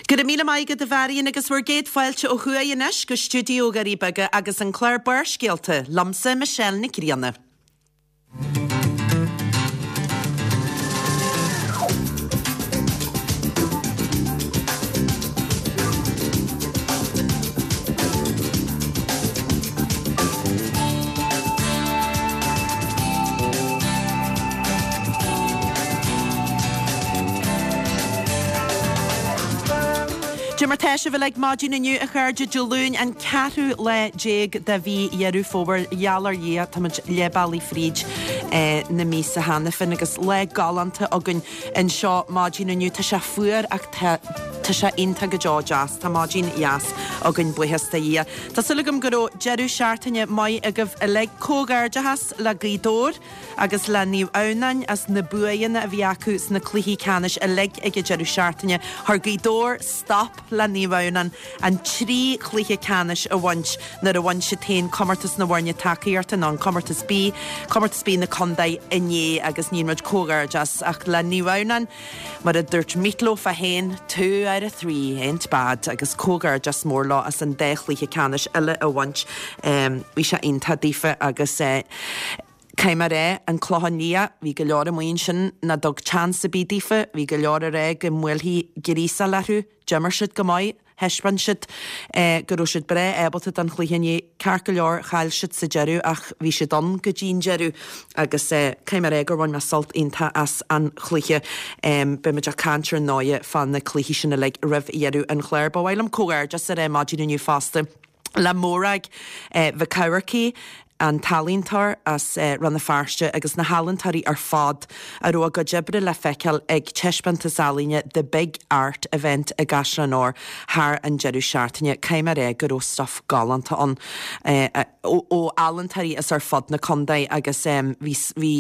Go raibh míle maith agat a Mharion agus bhur gcéad fáilte ó thuaidh anois go stiúideo Dhoirí Beaga agus an clár Barrscéalta, liomsa Michelle Nic Grianna. Dé mar tá sibh uilig maidin inniu, a chairde, Dé Luain an ceathrú lá déag de mhí Dheireadh Fómhair. Gheall ar Dhia, táimid leath bealaigh fríd na míosa cheana féin agus lá galánta againn anseo maidin inniu. Tá sé fuar ach tá tá sé iontach go deo deas. Tá maidin dheas againn, buíochas do Dhia. Tá súil agam go raibh deireadh seachtaine maith agaibh uilig. Comhghairdeachas le Gaoth Dobhair agus le Naomh Adhamhnáin as na buanna a bhí acu sna cluichí ceannais uilig ag an deireadh seachtaine. Chuir Gaoth Dobhair stop le Naomh Adhamhnáin an trí chluiche ceannais a bhaint nuair a bhain siad féin Comórtas na bhFoirne Tacaíochta nó an Comórtas B, Comórtas B na Contae inné agus ní muid comhghairdeas ach le Naomh Adhamhnáin. Mar a dúirt Meat Loaf é féin, two out of three ain't bad agus comhghairdeas mór leo as an dá chluiche ceannais eile a bhaint. Bhí sé iontach daofa agus caithfidh mé a rá, an Clochán Liath, bhí go leor amuigh ansin nach dtug chance ar bith daofa, bhí go leor ag rá go mbuailfí gríosáil orthu, d'imir siad go maith. Thaispeáin siad go raibh siad breá ábalta don chluiche inné. Ceart go leor, chaill siad sa deireadh ach bhí siad ann go dtí an deireadh agus caithfidh mé a rá gur bhain mé sult iontach as an chluiche. Beidh muid ag caint ar ndóighe fá na cluichí sin uilig roimh dheireadh an chláir. Ba mhaith liom comhghairdeas a rá maidin inniu fosta le Morag Mhic Eamharcaigh, an t-ealaíontóir as Rann na Feirste agus na healaíontóirí ar fad a raibh a gcuid oibre le feiceáil ag taispeántas ealaíne The Big Art Event i gCaisleán Óir thar an deireadh seachtaine. Caithfidh mé a rá go raibh stuif galánta ann ó ealaíontóirí as ar fud na contae agus bhí bhí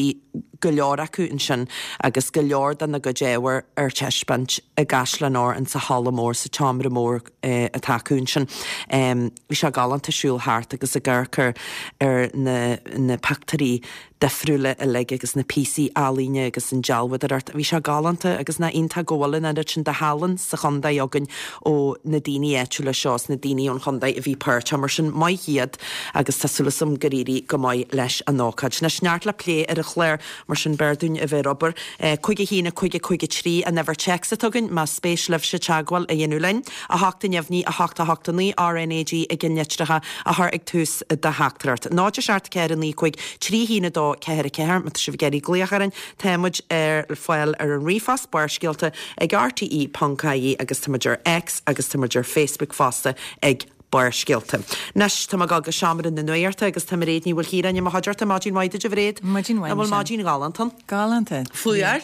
go leor acu ansin agus go leor dena gcuid ábhair ar taispeáint i gCaisleán Óir insa halla mór, sa tseomra mór. atá acu ansin. Bhí sé galánta siúl thart agus ag amharc ar ar na na pictiúirí difriúla uilig agus na píosaí ealaíne agus an dealbhádóireacht. Bhí sé galánta agus nach iontach go bhfuil an oiread sin de thallann sa chontae againn ó na daoine áitiúla seo is na daoine ón chontae a bhí páirteach. Mar sin, maith iad agus tá súil agam gur éirigh go maith leis an ócáid. Anois, neart le plé ar an chlár. Mar sin, b'fhearr dúinn a bheith ar obair. 5 1 5 5 3 an uimhir téacs atá againn, más spéis libhse teagmháil a dhéanamh linn. 8 neamhní 8 8 9 RnaG i gceannlitreacha a chur ag tús do theachtaireacht. 0 7 4 9 5 3 1 2 4 4 Má tá sibh ag iarraidh glaoch orainn, tá muid ar fáil ar an ríomhphost, Barrscéalta ag rte.ie agus tá muid ar X agus tá muid ar Facebook fosta ag. Barrscéalta. Anois, tá mé ag dul go seomra na nuachta agus tá Mairéad Ní Mhaoilchiaráin i mo chuideachta. Maidin mhaith duit, a Mhairéad. Maidin mhaith, An bhfuil Michelle. maidin ghalánta ann? Galánta. Fuar?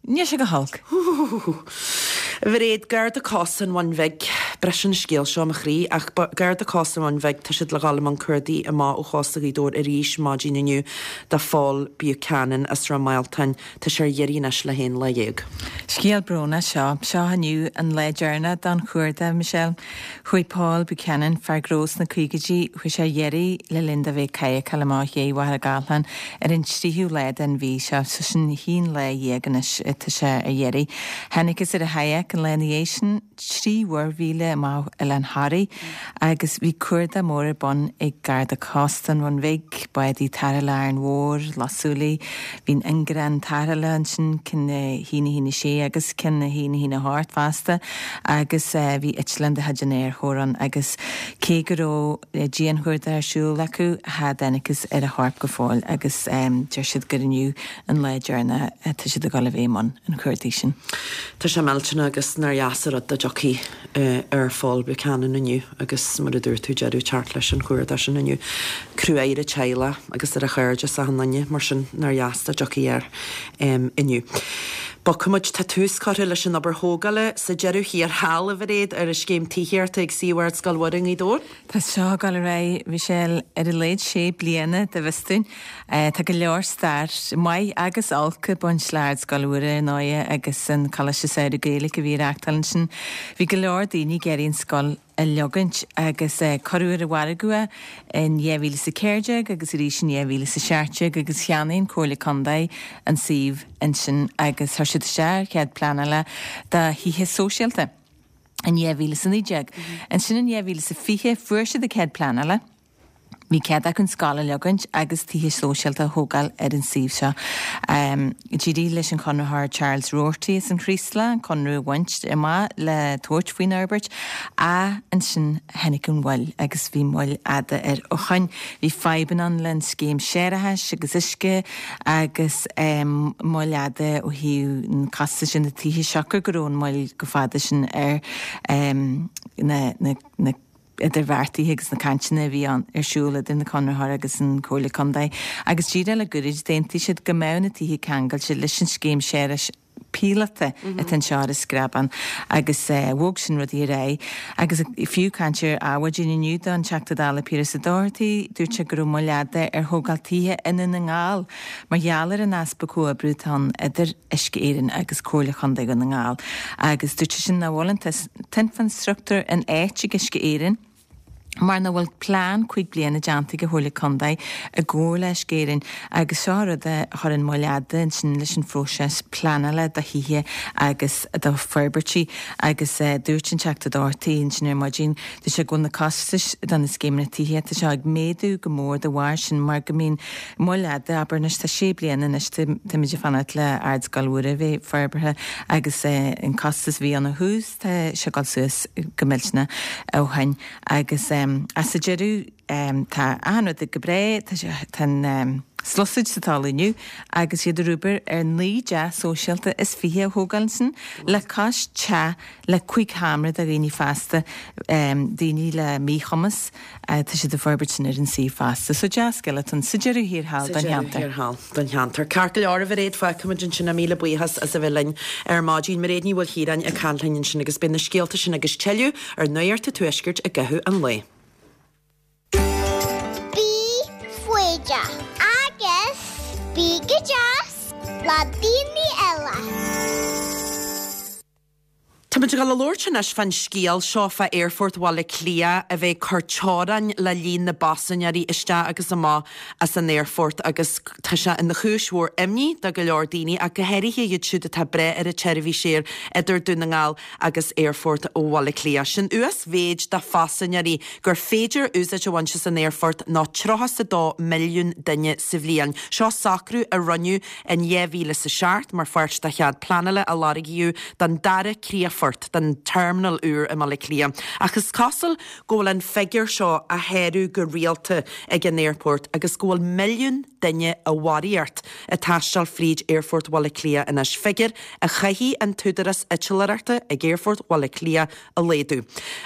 Níl sé go holc. A Mhairéad, Garda Cósta an Bhun Bhig, briseann an scéal seo mo chroí, ach Garda Cósta an Bhun Bhig, tá siad le dhul i mbun cuardaigh amach ó chósta Ghaoth Dobhair arís maidin inniu do Phól Buchanan as Ráth Maoltáin. Tá sé ar iarraidh anois le haon lá dhéag. Scéal brónach seo. Seo inniu an lá deireanach don chuardach, Michelle. Chuaigh Paul Buchanan, fear gnó sna caogaidí, chuaigh sé ar iarraidh le linn dó bheith ag cadhcáil amach ó Mhachaire Gathlán ar an tríú lá den mhí seo, so sin haon lá dhéag anois atá sé ar iarraidh. Thángthas ar a chadhc an lá ina dhiaidh sin, 3 mhuirmhíle amach ó Oileán Thoraí agus bhí cuardach mór ar bun ag Garda Cósta an Bhun Bhig, bádaí tarrthála Árainn Mhór, Loch Súilí, bhí an ingearán tarrthála ansin, ceann 1 1 6 agus ceann 1 1 8 fosta agus bhí eitleán de chuid an Aerchóir ann agus cé go raibh dianchuardach ar siúl acu, cha dtángthas ar a chorp go fóill agus deir siad gur inniu an lá deireanach atá siad ag dul a bheith i mbun an chuardaigh sin. Tá sé millteanach agus nár dheas an rud dá dtiocfaí ar Phól Buchanan inniu agus mar a dúirt tú deireadh teacht leis an chuardach sin inniu. Cruaidh ar a teaghlach agus ar a chairde is achan duine mar sin nár dheas dá dtiocfaí air inniu. Bogfaimid, tá tús curtha leis an obair thógála sa deireadh thiar thall, a Mhairéad, ar an scéim tithíochta ag suíomh Ardscoil Mhuire i nGaoth Dobhair. Tá seo ag dul ar aghaidh, Michelle, ar a laghad sé bliana, dá bhfios dúinn. Tá go leor stair, maith agus olc, ag baint le Ardscoil Mhuire, ar ndóighe, agus an Coláiste Samhraidh Gaeilge a bhí á reachtáil ansin. Bhí go leor daoine ag iarraidh an scoil a leogaint agus cuireadh ar an mhargadh é in 2014 agus arís in 2017 agus cheannaigh an Comhairle Contae an suíomh ansin agus chuir siad isteach ar chead pleanála do thithe sóisialta. In 2019. Ansin in 2020 fuair siad a cead pleanála. Bhí cead acu an scoil a leagaint agus tithe sóisialta a thógáil ar an suíomh seo. D'éirigh leis an chonraitheoir Charles Roarty as an Chraoslach an conradh a bhaint amach le tabhairt faoin fhorbairt ach ansin tháinig an mhoill agus bhí moill fhada air ó shoin. Bhí fadhbanna ann le an scéim séarachais agus uisce agus moill fhada ó thaobh an costais de na tithe siocair go raibh an mhoill chomh fada sin ar na na idirbheartaithe agus na cainteanna a bhí ann ar siúl idir na conraitheoir agus an Comhairle Contae agus díreach le goirid d'aontaigh siad go mbeadh na tithe ceangailte leis an scéim séarachais píolóta atá anseo ar an Screabán agus bhog sin rudaí ar aghaidh agus fiú caint ar Adhmhaidin inniu don Teachta Dála Piaras Ó Dochartaigh dúirt sé go raibh moill fhada ar thógáil tithe i nDún na nGall mar gheall ar an easpa comhoibriú atá ann idir Uisce Éireann agus Comhairle Chontae Dhún na nGall agus dúirt seisean nach bhfuil an t-infreastruchtúr in áit ag Uisce Éireann mar nach bhfuil plean 5 bliana déanta ag an Chomhairle Contae i gcomhar le Uisce Éireann agus seo rud a chuireann moill fhada ansin leis an phróiseas pleanála do thithe agus do forbairtí agus dúirt an Teachta Dochartaigh ansin ar maidin dúirt sé go bhfuil na costais do na scéimeanna tithíochta seo ag méadú go mór de bharr sin mar go mbíonn Moill fhada, abair anois, tá sé bliana anois, táimid ag fanacht le Ardscoil Mhuire a bheith forbartha agus an costas a bhí ann ó thús, tá sé ag dul suas go millteanach ó shin agus sa deireadh tá achan rud go breá, tá sé, tá an sluasaid sa talamh inniu agus iad ag obair ar 19 dteach sóisialta is 20 a thógáil ansin le cois teach le 5 sheomra do dhaoine fásta, daoine le míchumas. Tá siad ag forbairt sin ar an suíomh fosta. So dea-scéal atá ann sa deireadh thiar thall don cheantar. Sa deireadh thiar thall don cheantar. Ceart go leor, a Mhairéad, fágfaimid ansin é. Míle buíochas as a bheith linn ar maidin. Mairéad Ní Mhaoilchiaráin ag caint linn ansin agus beidh na scéalta sin agus tuilleadh ar Nuacht an Tuaiscirt i gcaitheamh an lae. Bí foighdeach agus bí go deas le daoine eile. Táimid ag dul a labhairt anois fán scéal seo fá Aerfort Bhaile Átha Cliath a bheith ag cur teorainn le líon na bpaisinéirí isteach agus amach as an aerfort agus tá sé ina chúis mhór imní do go leor daoine ach go háirithe iad siúd atá ag brath ar an tseirbhís aeir idir Dún na nGall agus Aerfort Bhaile Átha Cliath. Sé'n uasmhéid de phaisinéirí gur féidir úsáid a bhaint as an aerfort ná 32 milliún duine sa bhliain. Seo socrú a rinneadh In 2007, mar pháirt de chead pleanála a lorgaíodh don dara críochfort, don terminal úr i mBaile Átha Cliath. Ach is cosúil go bhfuil an figiúr seo á shárú go rialta ag an aerfort agus go bhfuil milliún duine i bharraíocht ag taisteal fríd Aerfort Bhaile Átha Cliath anois, figiúr a chaithfidh an t-údarás eitleoireachta ag Aerfort Bhaile Átha Cliath a laghdú.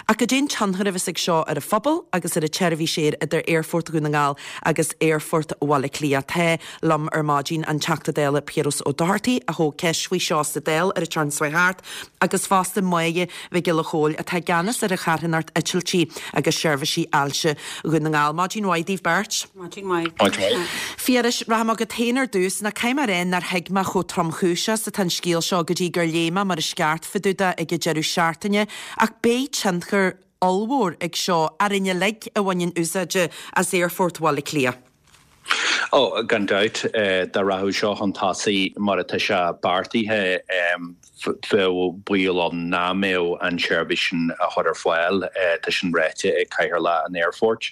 Ach cad é an tionchar a bheas ag seo ar an phobal agus ar an tseirbhís aeir idir Aerfort Dhún na nGall agus Aerfort Bhaile Átha Cliath? Tá liom ar maidin an Teachta Dála Piaras Ó Dochartaigh a thóg ceist faoi seo sa Dáil ar an tseachtain seo thart agus fosta Máire Mhic Giolla Chóill atá i gceannas ar an charthanacht Eitiltí agus Seirbhísí Ailse Dhún na nGall. Maidin mhaith daoibh beirt. Maidin mhaith. Maidin mhaith. Phiarais, rachaidh mé agat féin ar dtús. Ná caithfidh mé a rá nár thuig mé chomh tromchúiseach is atá an scéal seo go dtí gur léigh mé mar is ceart fá dtaobh de ag an deireadh seachtaine, ach beidh tionchar ollmhór ag seo orainn uilig a bhaineann úsáid as Aerfort Bhaile Átha Cliath. Ó, gan dabht, dá rachadh seo chun tosaigh mar atá sé beartaithe, bheadh baol ann nach mbeadh an tseirbhís sin á chur ar fáil. Tá sin ráite ag Cathaoirleach an Aerfoirt,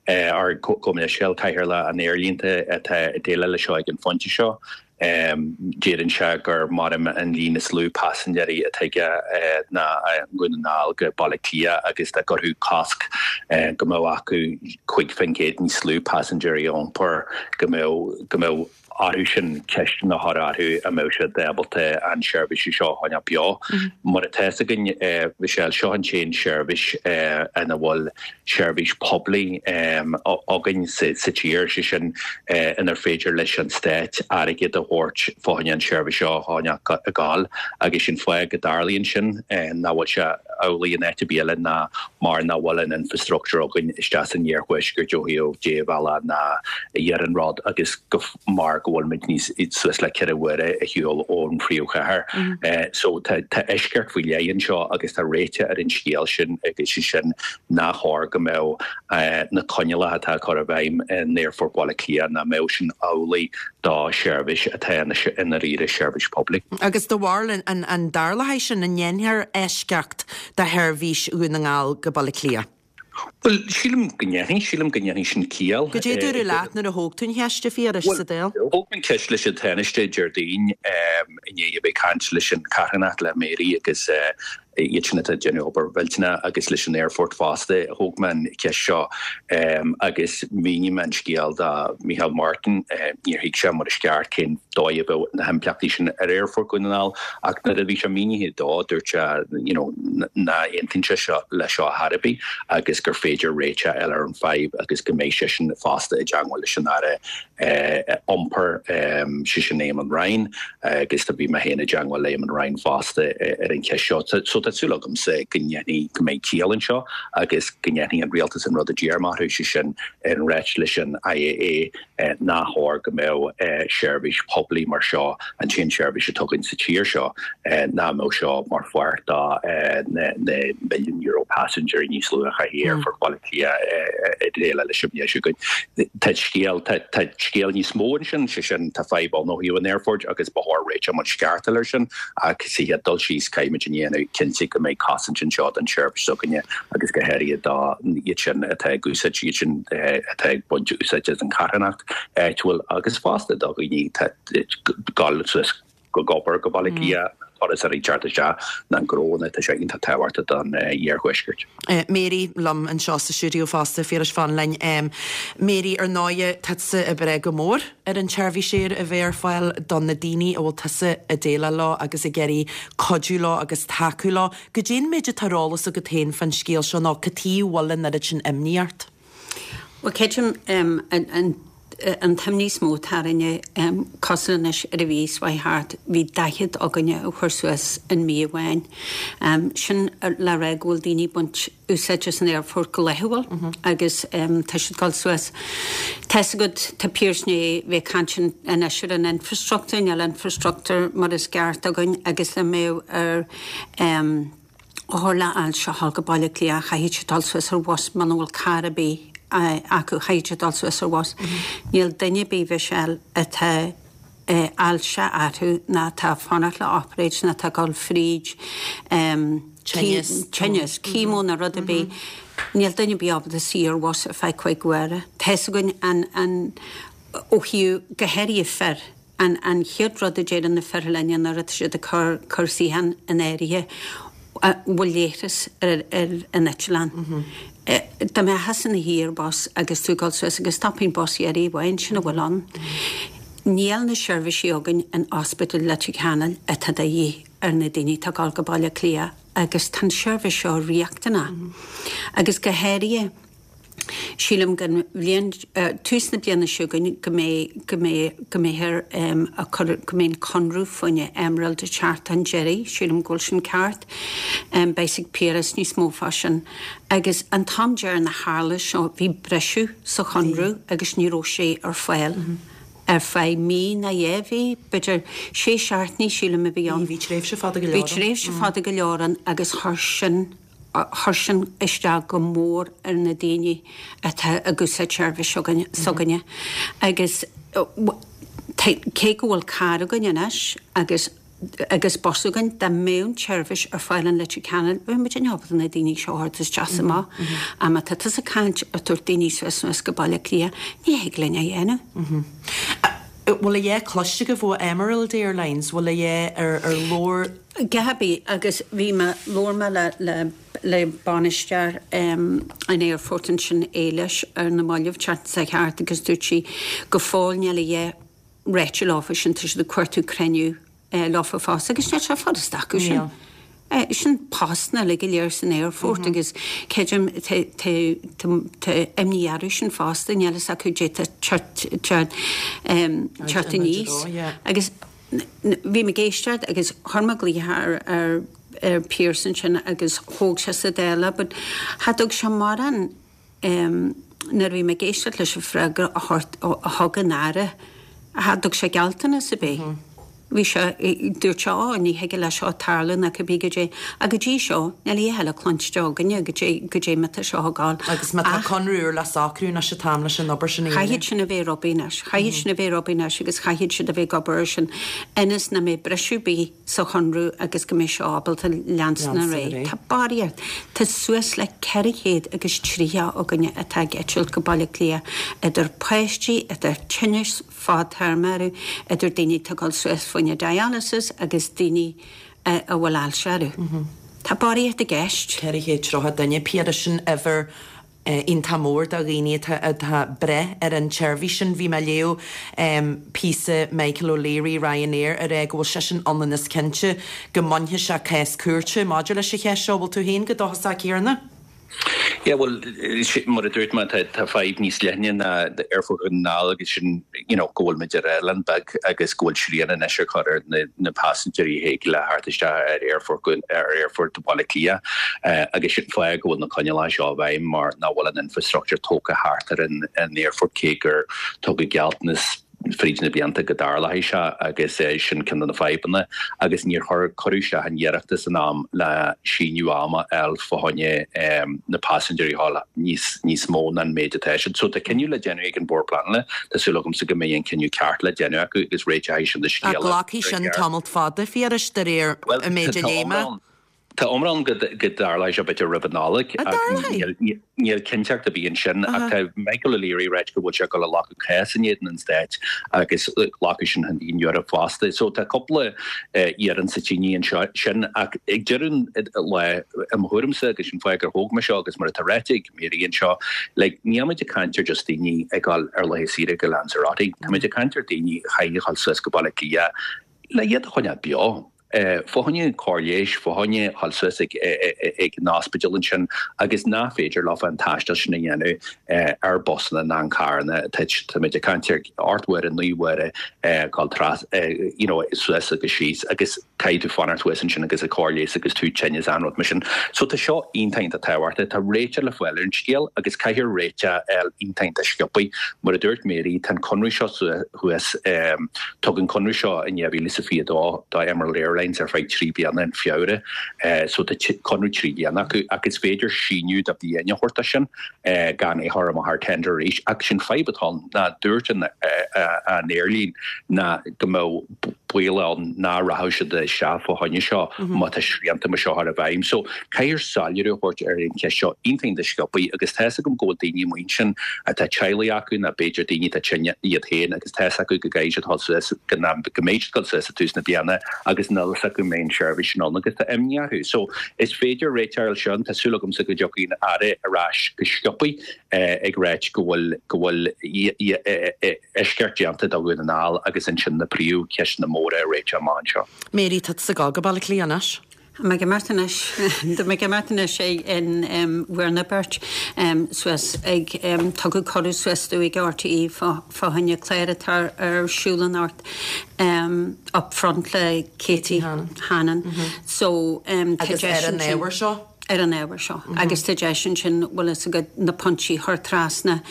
or gabh mo leithscéal, Cathaoirleach an Aerlínte atá ag déileáil leis seo ag an phointe seo. Deireann sé gur mar an líon is lú paisinéirí atá aige ná Dhún na nGall go Baile Átha Cliath agus dá gcuirfeadh cosc go mbeadh acu 5% níos lú paisinéirí a iompar go mbeadh go mbeadh orthu sin ceisteanna a chur orthu an mbeadh siad ábalta an seirbhís seo a choinneáil beo. Mar atá fhios againn, Michelle, seo an t-aon seirbhís ina bhfuil seirbhís poiblí againn sa tír, sé sin inar féidir leis an stát airgead a thabhairt fá choinne an tseirbhís seo a choinneáil ag gabháil agus sin fáth go dtarlaíonn sin nach bhfuil sé amhlaidh in áit ar bith eile ná mar nach bhfuil an infrastructúr againn isteach san iarthuaisceart ó thaobh débhealach ná iarnród agus go mar. go bhfuil muid níos suas le 4 huaire ar shiúl ón phríomhchathair. So tá eisceacht faoi leith anseo agus tá réiteach ar an scéal sin agus sé sin nach chóir go mbeadh na coinníollacha atá á cur i bhfeidhm in Aerfort Bhaile Átha Cliath nach mbeadh sin amhlaidh do sheirbhís atá i ndáiríre seirbhís poiblí. Agus do bharúil an dtarlóidh sin, an ndéanfar eisceacht do sheirbhís Dhún na nGall go Baile Átha Cliath? Bhuel, sílim go ndéanfaidh, sílim go ndéanfaidh sin ciall. Goidé a dúradh leat nuair a thóg tú an cheist, a Phiarais, sa Dáil? Bhuel, thóg mé an cheist leis an Tánaiste Déardaoin i ndiaidh a bheith ag caint leis an charthanacht, le Mary agus iad sin atá ag déanamh obair mhillteanach agus leis an aerfort fosta. Thóg mé an cheist seo agus mhínigh mé an scéal do Micheál Martin. Níor thuig sé mar is ceart cén dóigh a bheadh na himpleachtaí sin ar Aerfort Dhún na nGall ach nuair a bhí sé mínithe dó dúirt sé you know nach aontaíonn sé seo leis seo ar chor ar bith agus gur féidir réiteach a fháil ar an fadhb agus go mbeidh seisean fosta i dteangmháil leis an Aire Iompair, sé sin Eamon Ryan agus tá bhí mé féin i dteangmháil le Eamon Ryan fosta ar an cheist seo. So tá súil agamsa go ndéanfaidh, go mbeidh ciall anseo agus go ndéanfaidh an rialtas an rud a d'iarr mé orthu, sé sin an ráit leis an IAA nach chóir go mbeadh seirbhís poiblí mar seo, an t-aon seirbhís atá againn sa tír seo, nach mbeadh seo mar pháirt de na milliún euro paisinéirí níos lú a chaithfidh Aerfort Bhaile Átha Cliath ag déileáil leis an mbliain seo chugainn. Tá scéal, tá scéal níos mó ansin, sé sin, tá fadhb ann ó thaobh an aerfoirt agus ba chóir réiteach mar is ceart a fháil air sin ach sa chéad dul síos caithfimid a dhéanamh cinnte go mbeidh cosaint anseo don tseirbhís s'againne agus go háirithe do iad sin atá ag úsáid, iad sin atá ag baint úsáid as an charthanacht áitiúil agus fosta do dhaoine atá ag gabháil suas go obair go Baile Átha Cliath, turasóirí ag teacht isteach na gnónna, tá sé iontach tábhachtach don iarthuaisceart. Mary liom anseo sa stiúideo fosta, a Phiarais, fan linn. Mary, ar ndóighe, tá tusa ag brath go mór ar an tseirbhís aeir a bheith ar fáil do na daoine a bhfuil tusa ag déileáil leo agus ag iarraidh cuidiú leo agus tacú leo. Goidé an méid atá ar eolas agat féin fán scéal seo nó cad chuige a bhfuil an oiread sin imní ort? Bhuel, creidim an t-imní is mó atá orainne, cosúil anois ar an mhí seo chuaigh thart, bhí 40 againne a chuir suas in mí amháin. Sin le rá go bhfuil daoine ag baint úsáid as an aerfort go laethúil agus tá siad ag dul suas. Tá's agat, tá Pearse i ndiaidh bheith ag caint anois ar an infrastructúr, níl infrastructúr mar is ceart againn agus le mbeadh ar othar le ailse a dhul go Baile Átha Cliath, chaithfidh siad dul suas ar bhus muna bhfuil carr ar bith acu, chaithfidh siad dul suas ar bhus. Níl duine ar bith, Mhichelle, atá ailse orthu ná atá ag fanacht le operáid ná atá ag dul fríd Tinneas. tinneas, chemo ná rud ar bith, níl duine ar bith ábalta suí ar bhus ar feadh cuig uaire. Tá's againn an, an, ó thaobh, go háirithe fir, An an chéad rud a deireann na fir linne nuair atá siad ag cur cur suíochán in áirithe, an bhfuil leithreas ar ar an eitleán. Dá mbeifeá ina shuí ar bus agus tú ag dul suas agus stopann bus iarraidh amháin, sin a bhfuil ann. Níl na seirbhísí againn in Ospidéal Leitir Ceanainn atá de dhíth ar na daoine atá ag dul go Baile Átha Cliath agus tá an seirbhís seo riachtanach. Agus go háirithe, Sílim go bhliain, tús na bliana seo chugainn go mbeidh, go mbeidh, go mbeifear ag cur, go mbeidh an conradh fá choinne Emerald ag teacht chun deiridh, sílim go bhfuil sin ceart. Beidh a fhios ag Piaras níos mó fá sin. Agus an t-am deireanach a tharla seo bhí briseadh sa chonradh agus ní raibh sé ar fáil ar feadh mí ná dhá mhí, b'fhéidir sé seachtainí sílim a bhí ann. Bhí tréimhse fada go leor ann. Bhí tréimhse fada go leor ann agus chuir sin, Chuir sin isteach go mór ar na daoine atá ag úsáid seirbhís s'againne agus cé go bhfuil carr againn anois agus agus bus againn, dá mbeadh an tseirbhís ar fáil in Leitir Ceanainn, bheadh muid ábalta na daoine seo a thabhairt isteach is amach. Ach má tá tusa ag caint ar tabhairt daoine suas anuas go Baile Átha Cliath, ní thig linn é a dhéanamh. Bhfuil a dhath cloiste agaibh ó Emerald Airlines? Bhfuil a dhath ar labhair? Gaby, Agus bhí mé, labhair mé le, le, le bainisteoir an aerfoirt ansin, Éilis, ar na mallaibh, tseachtain seo thart agus dúirt sí go fóill níl a dhath ráite leofa sin, tá siad ag cuartú cruinniú leofa fosta agus níl sé furasta acu sin. Níl. Sin postanna uilig go léir san aerfort agus creidim tá, tá, tá, tá imní orthu sin fosta, níl fhios acu caidé tá teacht, teacht, teacht aníos agus Bhí mé ag éisteacht agus chuir mé glaoch ar ar Pearse ansin agus thóg sé sa Dáil é but cha dtug sé mórán nuair a bhí mé ag éisteacht leis an freagra a thug an Aire. Cha dtug sé gealltanas ar bith. Bhí sé, dúirt sé, Ó, ní thig le seo tarlú ná cibé goidé. Ach go dtí seo, níl a dhath eile cluinste againne goidé, goidé mar tá seo ag gabháil. Agus má tá conradh úr le socrú anois an t-am leis an obair sin a dhéanamh. Chaithfeadh sin a bheith ar obair anois. Chaithfeadh sin a bheith ar obair anois agus chaithfeadh siad a bheith ag obair ar sin ionas nach mbeidh briseadh ar bith sa chonradh agus go mbeidh seo ábalta leanstan ar aghaidh. Tá barraíocht, tá suas le 430 againne atá ag eitilt go Baile Átha Cliath, idir páistí, idir tinneas fadtéarma orthu, idir daoine atá ag dul suas fá choinne dialysis agus daoine a bhfuil ailse orthu. Tá barraíocht i gceist. 430 duine, Piaras, sin uimhir iontach mór de dhaoine atá ag brath ar an tseirbhís sin. Bhí mé ag léamh píosa Michael O'Leary, Ryanair, ag rá go bhfuil seisean ionann is cinnte go mbainfidh sé cás cúirte maidir leis an cheist seo. Bhfuil tú féin chomh dóchasach céanna? Yeah, bhuel, mar a dúirt mé, tá fadhb níos leithne ná Aerfort Dhún na nGall agus sin, you know, go bhfuil muid ar oileán beag agus go bhfuil srian anois á chur ar na paisinéirí a thig le theacht isteach ar Aerfort ar Aerfort Bhaile Átha Cliath agus sin fáth go bhfuil na coinníollacha seo i bhfeidhm mar nach bhfuil an infrastructure tógtha thart ar an aerfort cé gur tugadh gealltanas fríd na blianta go dtarlóidh sé agus sin ceann de na fadhbanna agus níor chuir cuireadh isteach an iarratas in am le síneadh ama a fháil fá choinne na paisinéirí a fháil níos níos mó ná an méid atá siad. So tá cinneadh le déanamh ag an Bord Pleanála, tá súil agamsa go mbeidh an cinneadh ceart le déanamh acu agus réiteoidh sin an scéal. Ach glacfaidh sin tamalt fada, a Phiarais, de réir an méid a léigh mé. Tá iomrá ann go dtarlóidh sé b'fhéidir roimh an Nollaig ach níl cinnteacht ar bith ansin. Ach tá Michael O'Leary ag ráit go bhfuil sé ag dul a ghlacadh cás in éadan an stáit agus glacfaidh sin chun an Eoraip fosta. So tá cúpla iarann sa tine anseo sin ach ag deireadh an lae, i mo thuairimse agus sin fáth gur thóg mé seo agus mar atá ráite ag Mary anseo, like níl muid ag caint ar just daoine ag dul ar laetha saoire go Lanzarote. Tá muid ag caint ar daoine a chaithfidh a dhul suas go Baile Átha Cliath le iad a choinneáil beo. Fá choinne cóir leighis, fá choinne dhul suas ag an ospidéal ansin agus nach féidir leofa an taisteal sin a dhéanamh ar busanna ná an carranna. Táimid ag caint ar 8 uaire, 9 uaire dul tras, you know, suas agus síos agus caithfidh tú fanacht thuas ansin agus an cóir leighis agus tú tinn is achan rud mar sin. So tá seo iontach iontach tábhachtach. Tá réiteach le fáil ar an scéal agus caithfear réiteach a fháil iontach iontach sciobtha. Mar a dúirt Mary, tá an conradh seo thuas. Tugadh an conradh seo in 2022 do Emerald Airlines ar feadh 3 bliana in Feabhra so tá conradh 3 bliana acu ach is féidir síneadh de bhliain a thabhairt dó sin gan é a chur amach ar tender arís. Ach sin fadhb atá ann ná dúirt an aerlíne ná go mbeadh baol ann nach rachadh siad isteach fá choinne seo má tá srianta mar seo á chur i bhfeidhm. So caithfear soiléiriú a thabhairt ar an cheist seo iontach iontach sciobtha agus tá fhios agam go bhfuil daoine amuigh ansin atá teaghlaigh acu nó b'fhéidir daoine atá tinn iad féin agus tá fhios acu go gcaithfidh siad dul suas, go mbeidh siad ag dul suas ag tús na bliana agus níl fhios acu an mbeidh an tseirbhís sin ann agus tá imní orthu. So is féidir réiteach a fháil sin, tá súil agamsa go dtiocfaidh an Aire ar ais go sciobtha ag ráit go bhfuil go bhfuil eisceacht déanta do Dhún na nGall agus ansin na príomhcheisteanna móra a réiteach amach anseo. Mary, tá tusa ag dul go Baile Átha Cliath anois. Tá mé ag imeacht anois. Tá mé ag imeacht anois in bhur na beirt suas ag tugadh cuireadh suas domh ag RTÉ fá choinne clár atá ar siúl anocht Up Front le Katie Hannon. So tá deis ansin. Agus ar an ábhar seo? Ar an ábhar seo. Agus tá deis ansin, bhfuil fhios agat, na pointí a chur trasna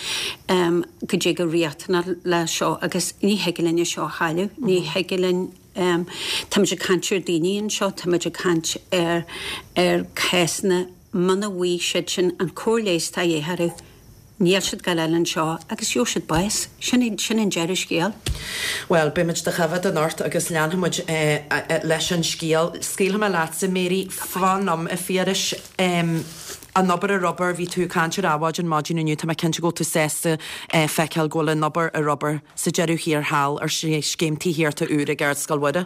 goidé chomh riachtanach le seo agus ní thig linn é seo a chailleadh. Ní thig linn Táimid ag caint ar daoine anseo, táimid ag caint ar ar cásanna muna bhfaighidh siad sin an cóir leighis atá de dhíth orthu, níl siad ag gabháil a fháil anseo agus gheobhaidh siad bás. Sin sin an deireadh scéil. Bhuel, beidh muid do choimhéad anocht agus leanfaidh muid leis an scéal. Scaoilfidh mé leatsa, Mary. Fan liom, a Phiarais. An obair ar obair, bhí tú ag caint ar adhmaid an maidin inniu, tá mé cinnte go bhfuil tú sásta feiceáil go bhfuil an obair ar obair sa deireadh thiar thall ar scéim tithíochta úr ag Ardscoil Mhuire.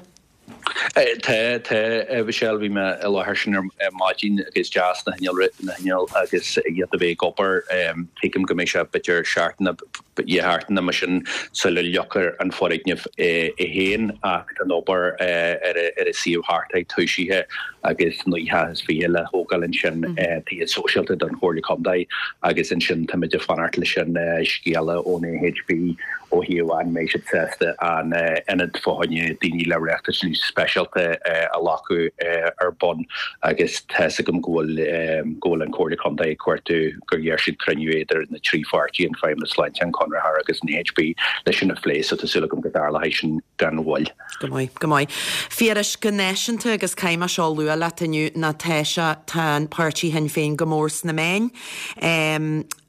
Tá, tá, a Mhichelle, bhí mé i láthair sin ar maidin agus deas na hinnill, na hinnill agus iad a bheith ag obair. Tuigim go mbeidh sé b'fhéidir seachtain nó dhá sheachtain mar sin sula fhiuchfar an foirgneamh é féin ach tá an obair ar an suíomh thart air tosaithe agus 29 le thógáil ansin, tithe sóisialta don Chomhairle Contae agus ansin táimid ag fanacht leis an scéala ón AHB ó thaobh an mbeidh siad sásta an ionad fá choinne daoine le riachtanais speisialta. speisialta a ghlacadh ar bun agus tá's agam go bhfuil go bhfuil an Chomhairle Contae ag cuartú gur iarr siad cruinniú idir na trí pháirtí, an Feidhmeannas Sláinte, an Conraitheoir agus an AHB leis sin a phlé so tá súil agam go dtarlóidh sin gan mhoill. Go maith, go maith. Phiarais, go náisiúnta agus caithfidh mé seo a lua leat inniu ná tá sé, tá an páirtí Shinn Féin go mór sna meáin.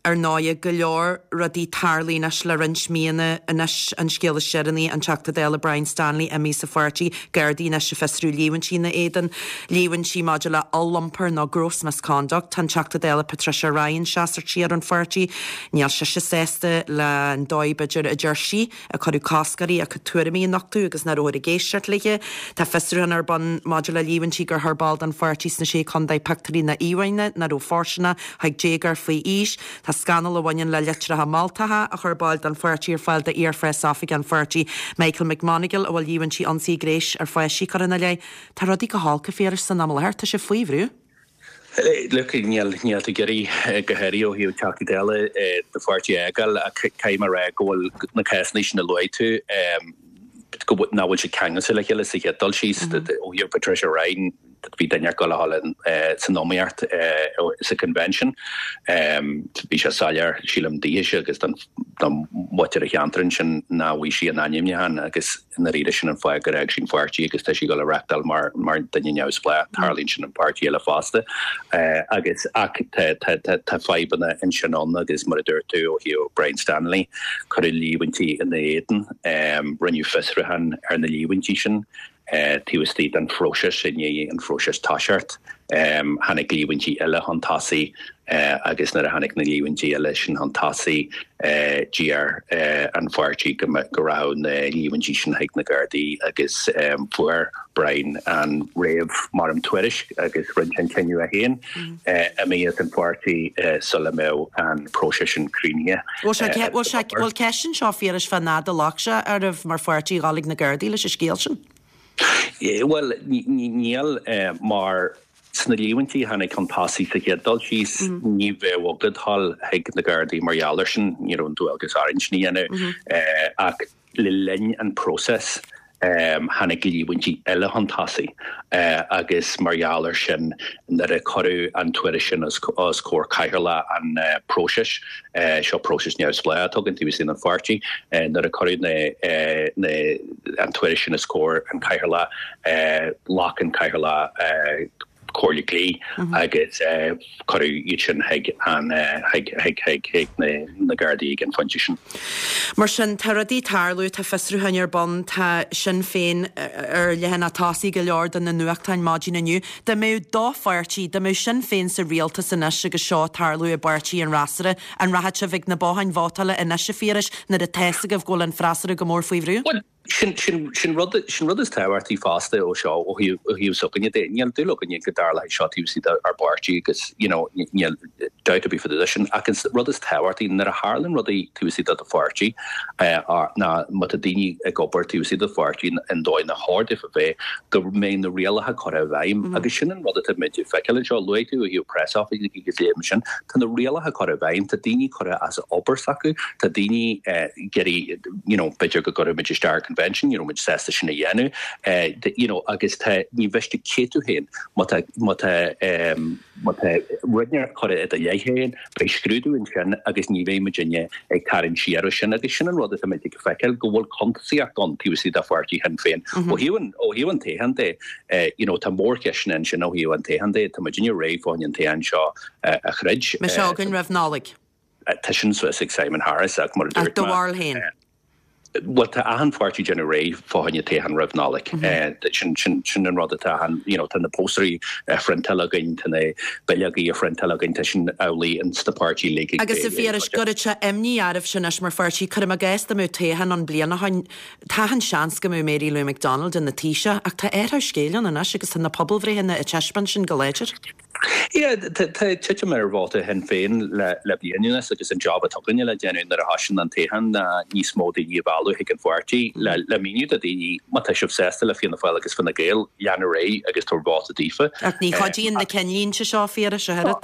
Ar ndóighe, go leor rudaí tarlaithe anois le roinnt míonna anois, an scéal is deireanaí, an Teachta Dála Brian Stanley imithe as an pháirtí, Gardaí anois ag fiosrú líomhaintí ina éadan, líomhaintí maidir le oll-iompar nó gross misconduct. Tá an Teachta Dála Patricia Ryan seasamh siar ón pháirtí, níl sise sásta le an dóigh b'fhéidir a deir sí, a cuireadh cosc uirthi a cuid tuairimí a nochtadh agus nach rabhthar ag éisteacht léi. Tá fiosrúchán ar bun maidir le líomhaintí gur chuir ball den pháirtí sna Sé Chontae pictiúirí nó íomhánna nach raibh fóirsteanach chuig déagóir faoi aois. Tá scannal a bhaineann le litreacha moltacha a chuir baill den pháirtí ar fáil d'iar-phreasoifigeach an pháirtí, Michael McMonagle, a bhfuil líomhaintí ionsaí gnéis ar pháistí curtha ina leith. Tá rudaí go holc, a Phiarais, san am i láthair. Tá sé faoi bhrú. Look, níl níl tú ag iarraidh go háirithe ó thaobh Teachtaí Dála do pháirtí a fhágáil ach caithfidh mé a rá go bhfuil na cásanna sin a luaigh tú go bhfuil nach bhfuil siad ceangailte le chéile sa chéad dul síos ó thaobh Patricia Ryan bhí duine ag dul a dhul san iomaíocht sa convention. Bhí sé soiléir sílim daoithese agus don mhuintir an cheantair ansin nach bhfuair sí an ainmniúchán agus I ndáiríre sin an fáth gur fhág sí an pháirtí agus tá sí ag dul a reachtáil mar mar duine neamhspleách. Tarlaíonn sin an páirtí eile fosta. Agus ach tá tá tá tá fadhbanna ansin ann agus mar a dúirt tú ó thaobh Brian Stanley, cuireadh líomhaintí ina éadan, rinneadh fiosrúchán ar na líomhaintí sin taobh istigh den phróiseas i ndiaidh an phróiseas toiseacht. Tháinig líomhaintí eile chun tosaigh agus nuair a tháinig na líomhaintí eile sin chun tosaigh d'iarr an pháirtí go rachadh na líomhaintí sin chuig na Gardaí agus fuair Brian an réamh-tuairisc agus rinne sé an cinneadh é féin imí as an pháirtí sula mbeadh an próiseas sin críochnaithe. Bhfuil ceist anseo, a Phiarais, fán fhad a ghlac sé oraibh mar pháirtí a dhul ag na Gardaí leis an scéal sin? Bhuel, níl, mar sna líomhaintí a tháinig chun tosaigh sa chéad dul síos, ní bheadh agat dhul chuig na Gardaí mar gheall air sin, ní raibh an dualgas orainn sin a dhéanamh. Ach le linn an próiseas, tháinig líomhaintí eile chun tosaigh agus mar gheall air sin, nuair a cuireadh an tuairisc sin os comhair cathaoirleach an phróisis, Seo próiseas neamhspleách atá againn taobh istigh den pháirtí. Nuair a cuireadh na an tuairisc sin os comhair an chathaoirleach, ghlac an cathaoirleach comhairle dlí agus cuireadh iad sin chuig an chuig chuig chuig chuig na Gardaí ag an phointe sin. Mar sin, tá rudaí ag tarlú, tá fiosrúcháin ar bun, tá Sinn Féin ar leathanach tosaigh go leor de na nuachtáin maidin inniu. Dá mbeadh do pháirtí, dá mbeadh Sinn Féin sa rialtas anois agus seo ag tarlú i bpáirtí an fhreasúra, an rachadh sibh ag na botháin vótála anois, a Phiarais, nuair atá fhios agaibh go bhfuil an freasúra go mór faoi bhrú? Bhuel, sin, sin, sin rud, sin rud is tábhachtaí fosta ó seo, ó thaobh, ó thaobh s'againne de. Níl dúil againne go dtarlóidh seo taobh istigh dár bpáirtí agus, you know, níl dabht ar bith fá dtaobh de sin. Ach an rud is tábhachtaí, nuair a tharlaíonn rudaí taobh istigh de do pháirtí, ná má tá daoine ag obair taobh istigh de do pháirtí an dóigh nár chóir daofa bheith, go mbeidh na rialacha curtha i bhfeidhm. Agus sin an rud atá muid ag feiceáil anseo. Luaigh tú ó thaobh preasoifigigh agus léim sin. Tá na rialacha curtha i bhfeidhm, tá daoine curtha as obair s'acu, tá daoine ag iarraidh, you know, b'fhéidir go gcuirfidh muid isteach ar convention, ní raibh muid sásta sin a dhéanamh, you know, agus tá, ní mhiste cé tú féin, má tá, má tá, Má tá rud inteacht curtha i do leith féin, beidh scrúdú ansin agus ní bheidh muidinne ag tarraingt siar ó sin. Agus sin an rud atá muid ag feiceáil, go bhfuil cuntasaíocht ann taobh istigh de pháirtí Shinn Féin. Ó thaobh an, ó thaobh an toghcháin de, you know, tá mórcheisteanna ansin ó thaobh an toghcháin de. Tá muidinne réidh fá choinne an toghchán seo a throid. Beidh sé againn roimh Nollaig. Tá sin suas ag Simon Harris ach mar a dúirt mé. Do bharúil féin? Bhuel, tá achan pháirtí ag déanamh réidh fá choinne toghchán roimh Nollaig. Sin, sin, sin an rud atá achan, you know, tá na póstaerí á phriontáil againn, tá na bileogaí á phriontáil againn, tá sin amhlaidh ins na páirtí uilig ag. Agus a Phiarais, go raibh sé imní oraibhse anois mar pháirtí, cuirim i gcás dá mbeadh toghchán ann bliain ó shoin, tá an seans go mbeadh Mary Lou McDonald ina Taoiseach ach tá athrú scéil ann anois agus tá na pobalbhreitheanna ag taispeáint sin go láidir. Yeah, tá titim ar vóta Shinn Féin le bliain anuas agus an job atá againne le déanamh nuair a thosaíonn an toghchán ná níos mó daoine a mhealladh chuig an pháirtí le míniú do dhaoine má tá sibh sásta le Fianna Fáil agus Fine Gael, lean ar aghaidh agus tabhair vóta daofa. Ach ní chuidíonn na cinnlínte seo, a Phiarais, a oiread.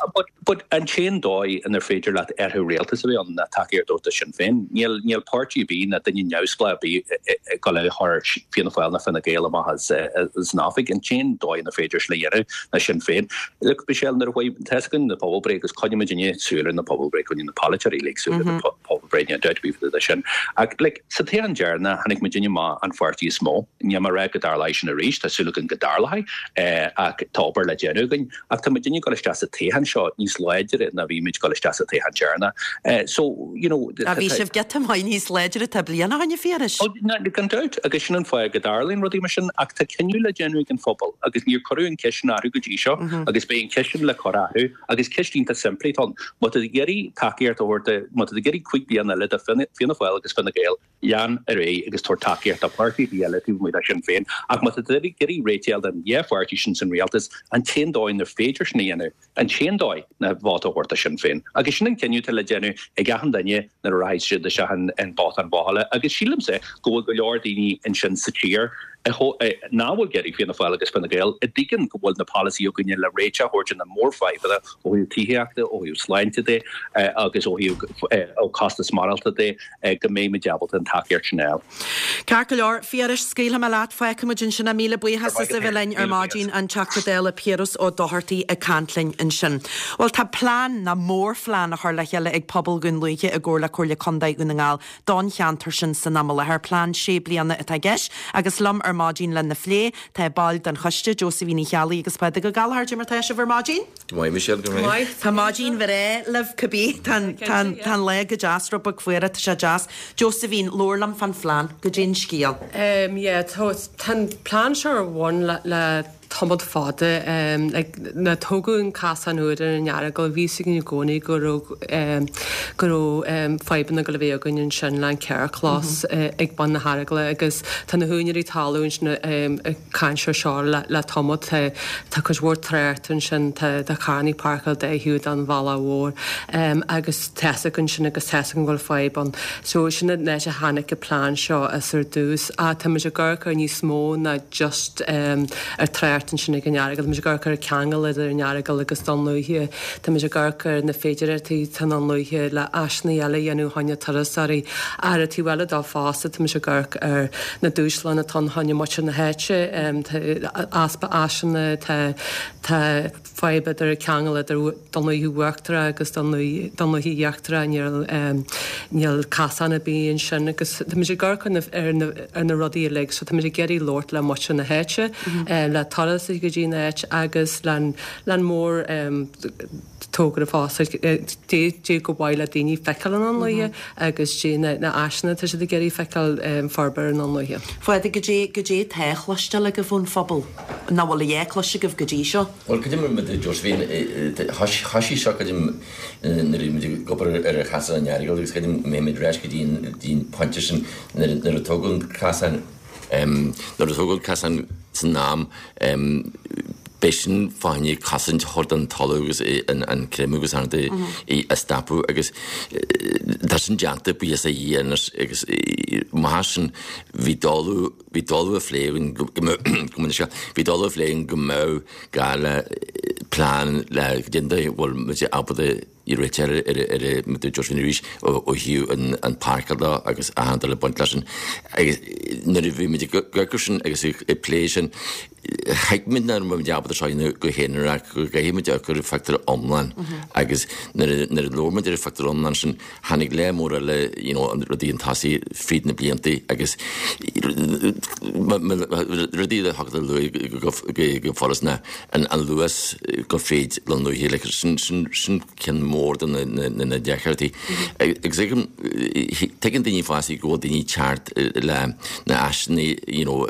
But an t-aon dóigh inar féidir leat athrú rialtais a bheith ann ná tacaíocht a thabhairt do Sinn Féin. Níl níl páirtí ar bith ná duine neamhspleách ar bith ag dul a chur Fianna Fáil ná Fine Gael amach as as an oifig. An t-aon dóigh inar féidir sin a dhéanamh ná Sinn Féin. Look, Michelle, nuair a chuaigh, tá fhios againn na pobalbhreith agus coinneoidh muidinne súil ar na pobalbhreith, coinneoidh na polaiteoirí uilig súil ar na pobalbhreith, níl dabht ar bith faoi sin. Ach like, sa toghchán deireanach tháinig muidinne amach an pháirtí is mó. Níl mé ag rá go dtarlóidh sin arís, tá súil againn go dtarlóidh, ach tá obair le déanamh againn. Ach tá muidinne ag dul isteach sa toghchán seo níos láidre ná bhí muid ag dul isteach sa toghchán deireanach. So, you know. Á bhí sibh giota maith níos láidre tá bliain ó shin, a Phiarais. Ó, gan dabht, agus sin an fáth go dtarlaíonn rudaí mar sin, ach tá cinneadh le déanamh ag an phobal agus níor cuireadh an ceist sin orthu go dtí seo agus beidh an ceist sin le cur orthu agus ceist iontach simplí atá ann. Má tá tú ag iarraidh tacaíocht a thabhairt do, má tá tú ag iarraidh 5 bliana eile de Fianna Fáil agus Fine Gael, Lean ar aghaidh agus tabhair tacaíocht do pháirtí ar bith eile taobh amuigh de Sinn Féin. Ach má tá tú ag iarraidh réiteach a fháil don dhá pháirtí sin san rialtas, an t-aon dóigh inar féidir sin a dhéanamh, an t-aon dóigh, ná vóta a thabhairt do Shinn Féin. Agus sin an cinneadh atá le déanamh ag achan duine nuair a rachaidh siad isteach an bothán vótála. Agus sílimse go bhfuil go leor daoine ansin sa tír nach bhfuil ag iarraidh Fianna Fáil agus Fine Gael, a dtuigeann go bhfuil na polasaithe againne le réiteach a thabhairt ar na mórfhadhbanna ó thaobh tithíochta, ó thaobh sláinte de agus ó thaobh costas maireachtála de. go mbeidh muid ábalta an tacaíocht sin a fháil. Ceart go leor, Phiarais, scaoilfidh mé leat, fágfaidh muid ansin é. Míle buíochas as a bheith linn ar maidin, an Teachta Dála Piaras Ó Dochartaigh ag caint linn ansin. Bhuel, tá plean, nó mórphlean, á chur le chéile ag pobal Dhún Lúiche i gcomhar le Comhairle Contae Dhún na nGall don cheantar sin san am i láthair. Plean sé bliana atá i gceist agus liom ar maidin lena phlé tá baill den choiste, Josephine Uí Cheallaigh agus Pádraig Ó Gallchóir. Cad é mar tá sibh ar maidin? Go maith, Michelle, go maith. Tá maidin bhreá libh cibé. Tá an lá go deas, rud beag fuar, tá sé deas. Josephine, labhair liom fán phlean, goidé an scéal. Yeah, tá an plean seo ar bun le tamall fada. Like, nuair a tógadh an casán úr ar an Earagail, bhí fhios againn i gcónaí go raibh go raibh fadhbanna ag dul a bheith againn ansin le an carrchlós ag bun na hEaragala agus tá na húinéirí talún ansin ag caint ar seo le tamall. Tá cuid mhór trácht ansin, tá carrannaí páirceáilte dá thaobh den bhealach mhór agus tá fhios againn sin agus tá fhios againn go bhfuil fadhb ann. So sin an áit a tháinig an plean seo as ar dtús. Ach tá muid ag amharc ar níos mó ná just ar trácht ansin ag an Earagail. Tá muid ag amharc ar an ceangal idir an Earagail agus Dún Lúiche. Tá muid ag amharc ar na féidireachtaí atá i nDún Lúiche le áiseanna eile a dhéanamh fá choinne turasóirí. Ar an taobh eile dó fosta, tá muid ag amharc ar na dúshláin atá ann fá choinne muintir na háite, tá easpa áiseanna, tá tá fadhb idir ceangal idir Dún Lúiche Uachtarach agus Dún Lúiche Íochtarach, níl níl casán ar bith ansin agus tá muid ag amharc ar na ar na ar na rudaí uilig so tá muid ag iarraidh labhairt le muintir na háite, le turasóirí go dtí an áit agus le Lean mór togra fosta goidé gur mhaith le daoine feiceáil i nDún Lúiche agus goidé na áiseanna atá siad ag iarraidh feiceáil forbartha i nDún Lúiche. Phádraig, goidé, goidé tá á chloisteáil agaibh ón phobal, nach bhfuil a dhath cloiste agaibh go dtí seo? Bhuel, creidim mar a dúirt Josephine, thoisigh seo creidim nuair a bhí muid ag obair ar chasán an Earagail agus creidim go mbeidh muid ar ais go dtí an pointe sin nuair a tógadh an casán. Nuair a tógadh an casán san am, b'é sin fá choinne cosaint a thabhairt don talamh agus an creimeadh agus an rud a stopadh agus tá sin déanta, buíochas le Dia anois agus mar sin bhí dul, bhí dul á phlé againn go mbeadh, bhí dul á phlé againn go mbeadh gá le plean le déanamh, bhfuil muid ábalta i rith ar ar a dúirt Josephine arís ó thaobh an páirceáil de agus achan dul ag baint leis sin agus nuair a bhí muid ag amharc air sin agus ag plé sin thuig muid nach raibh muid ábalta seo a dhéanamh go haonarach go gcaithfidh muid amharc ar an phictiúr iomlán agus nuair a nuair a labhair muid ar an phictiúr iomlán sin tháinig lear mór eile you know rudaí chun tosaigh fríd na blianta agus rudaí a thiocfadh le lua go furast ná an luas go fríd Dún Lúiche like sin sin sin ceann mór de na na na deacrachtaí. Agus tuigim tuigeann daoine fosta go bhfuil daoine ag teacht le na áiseanna you know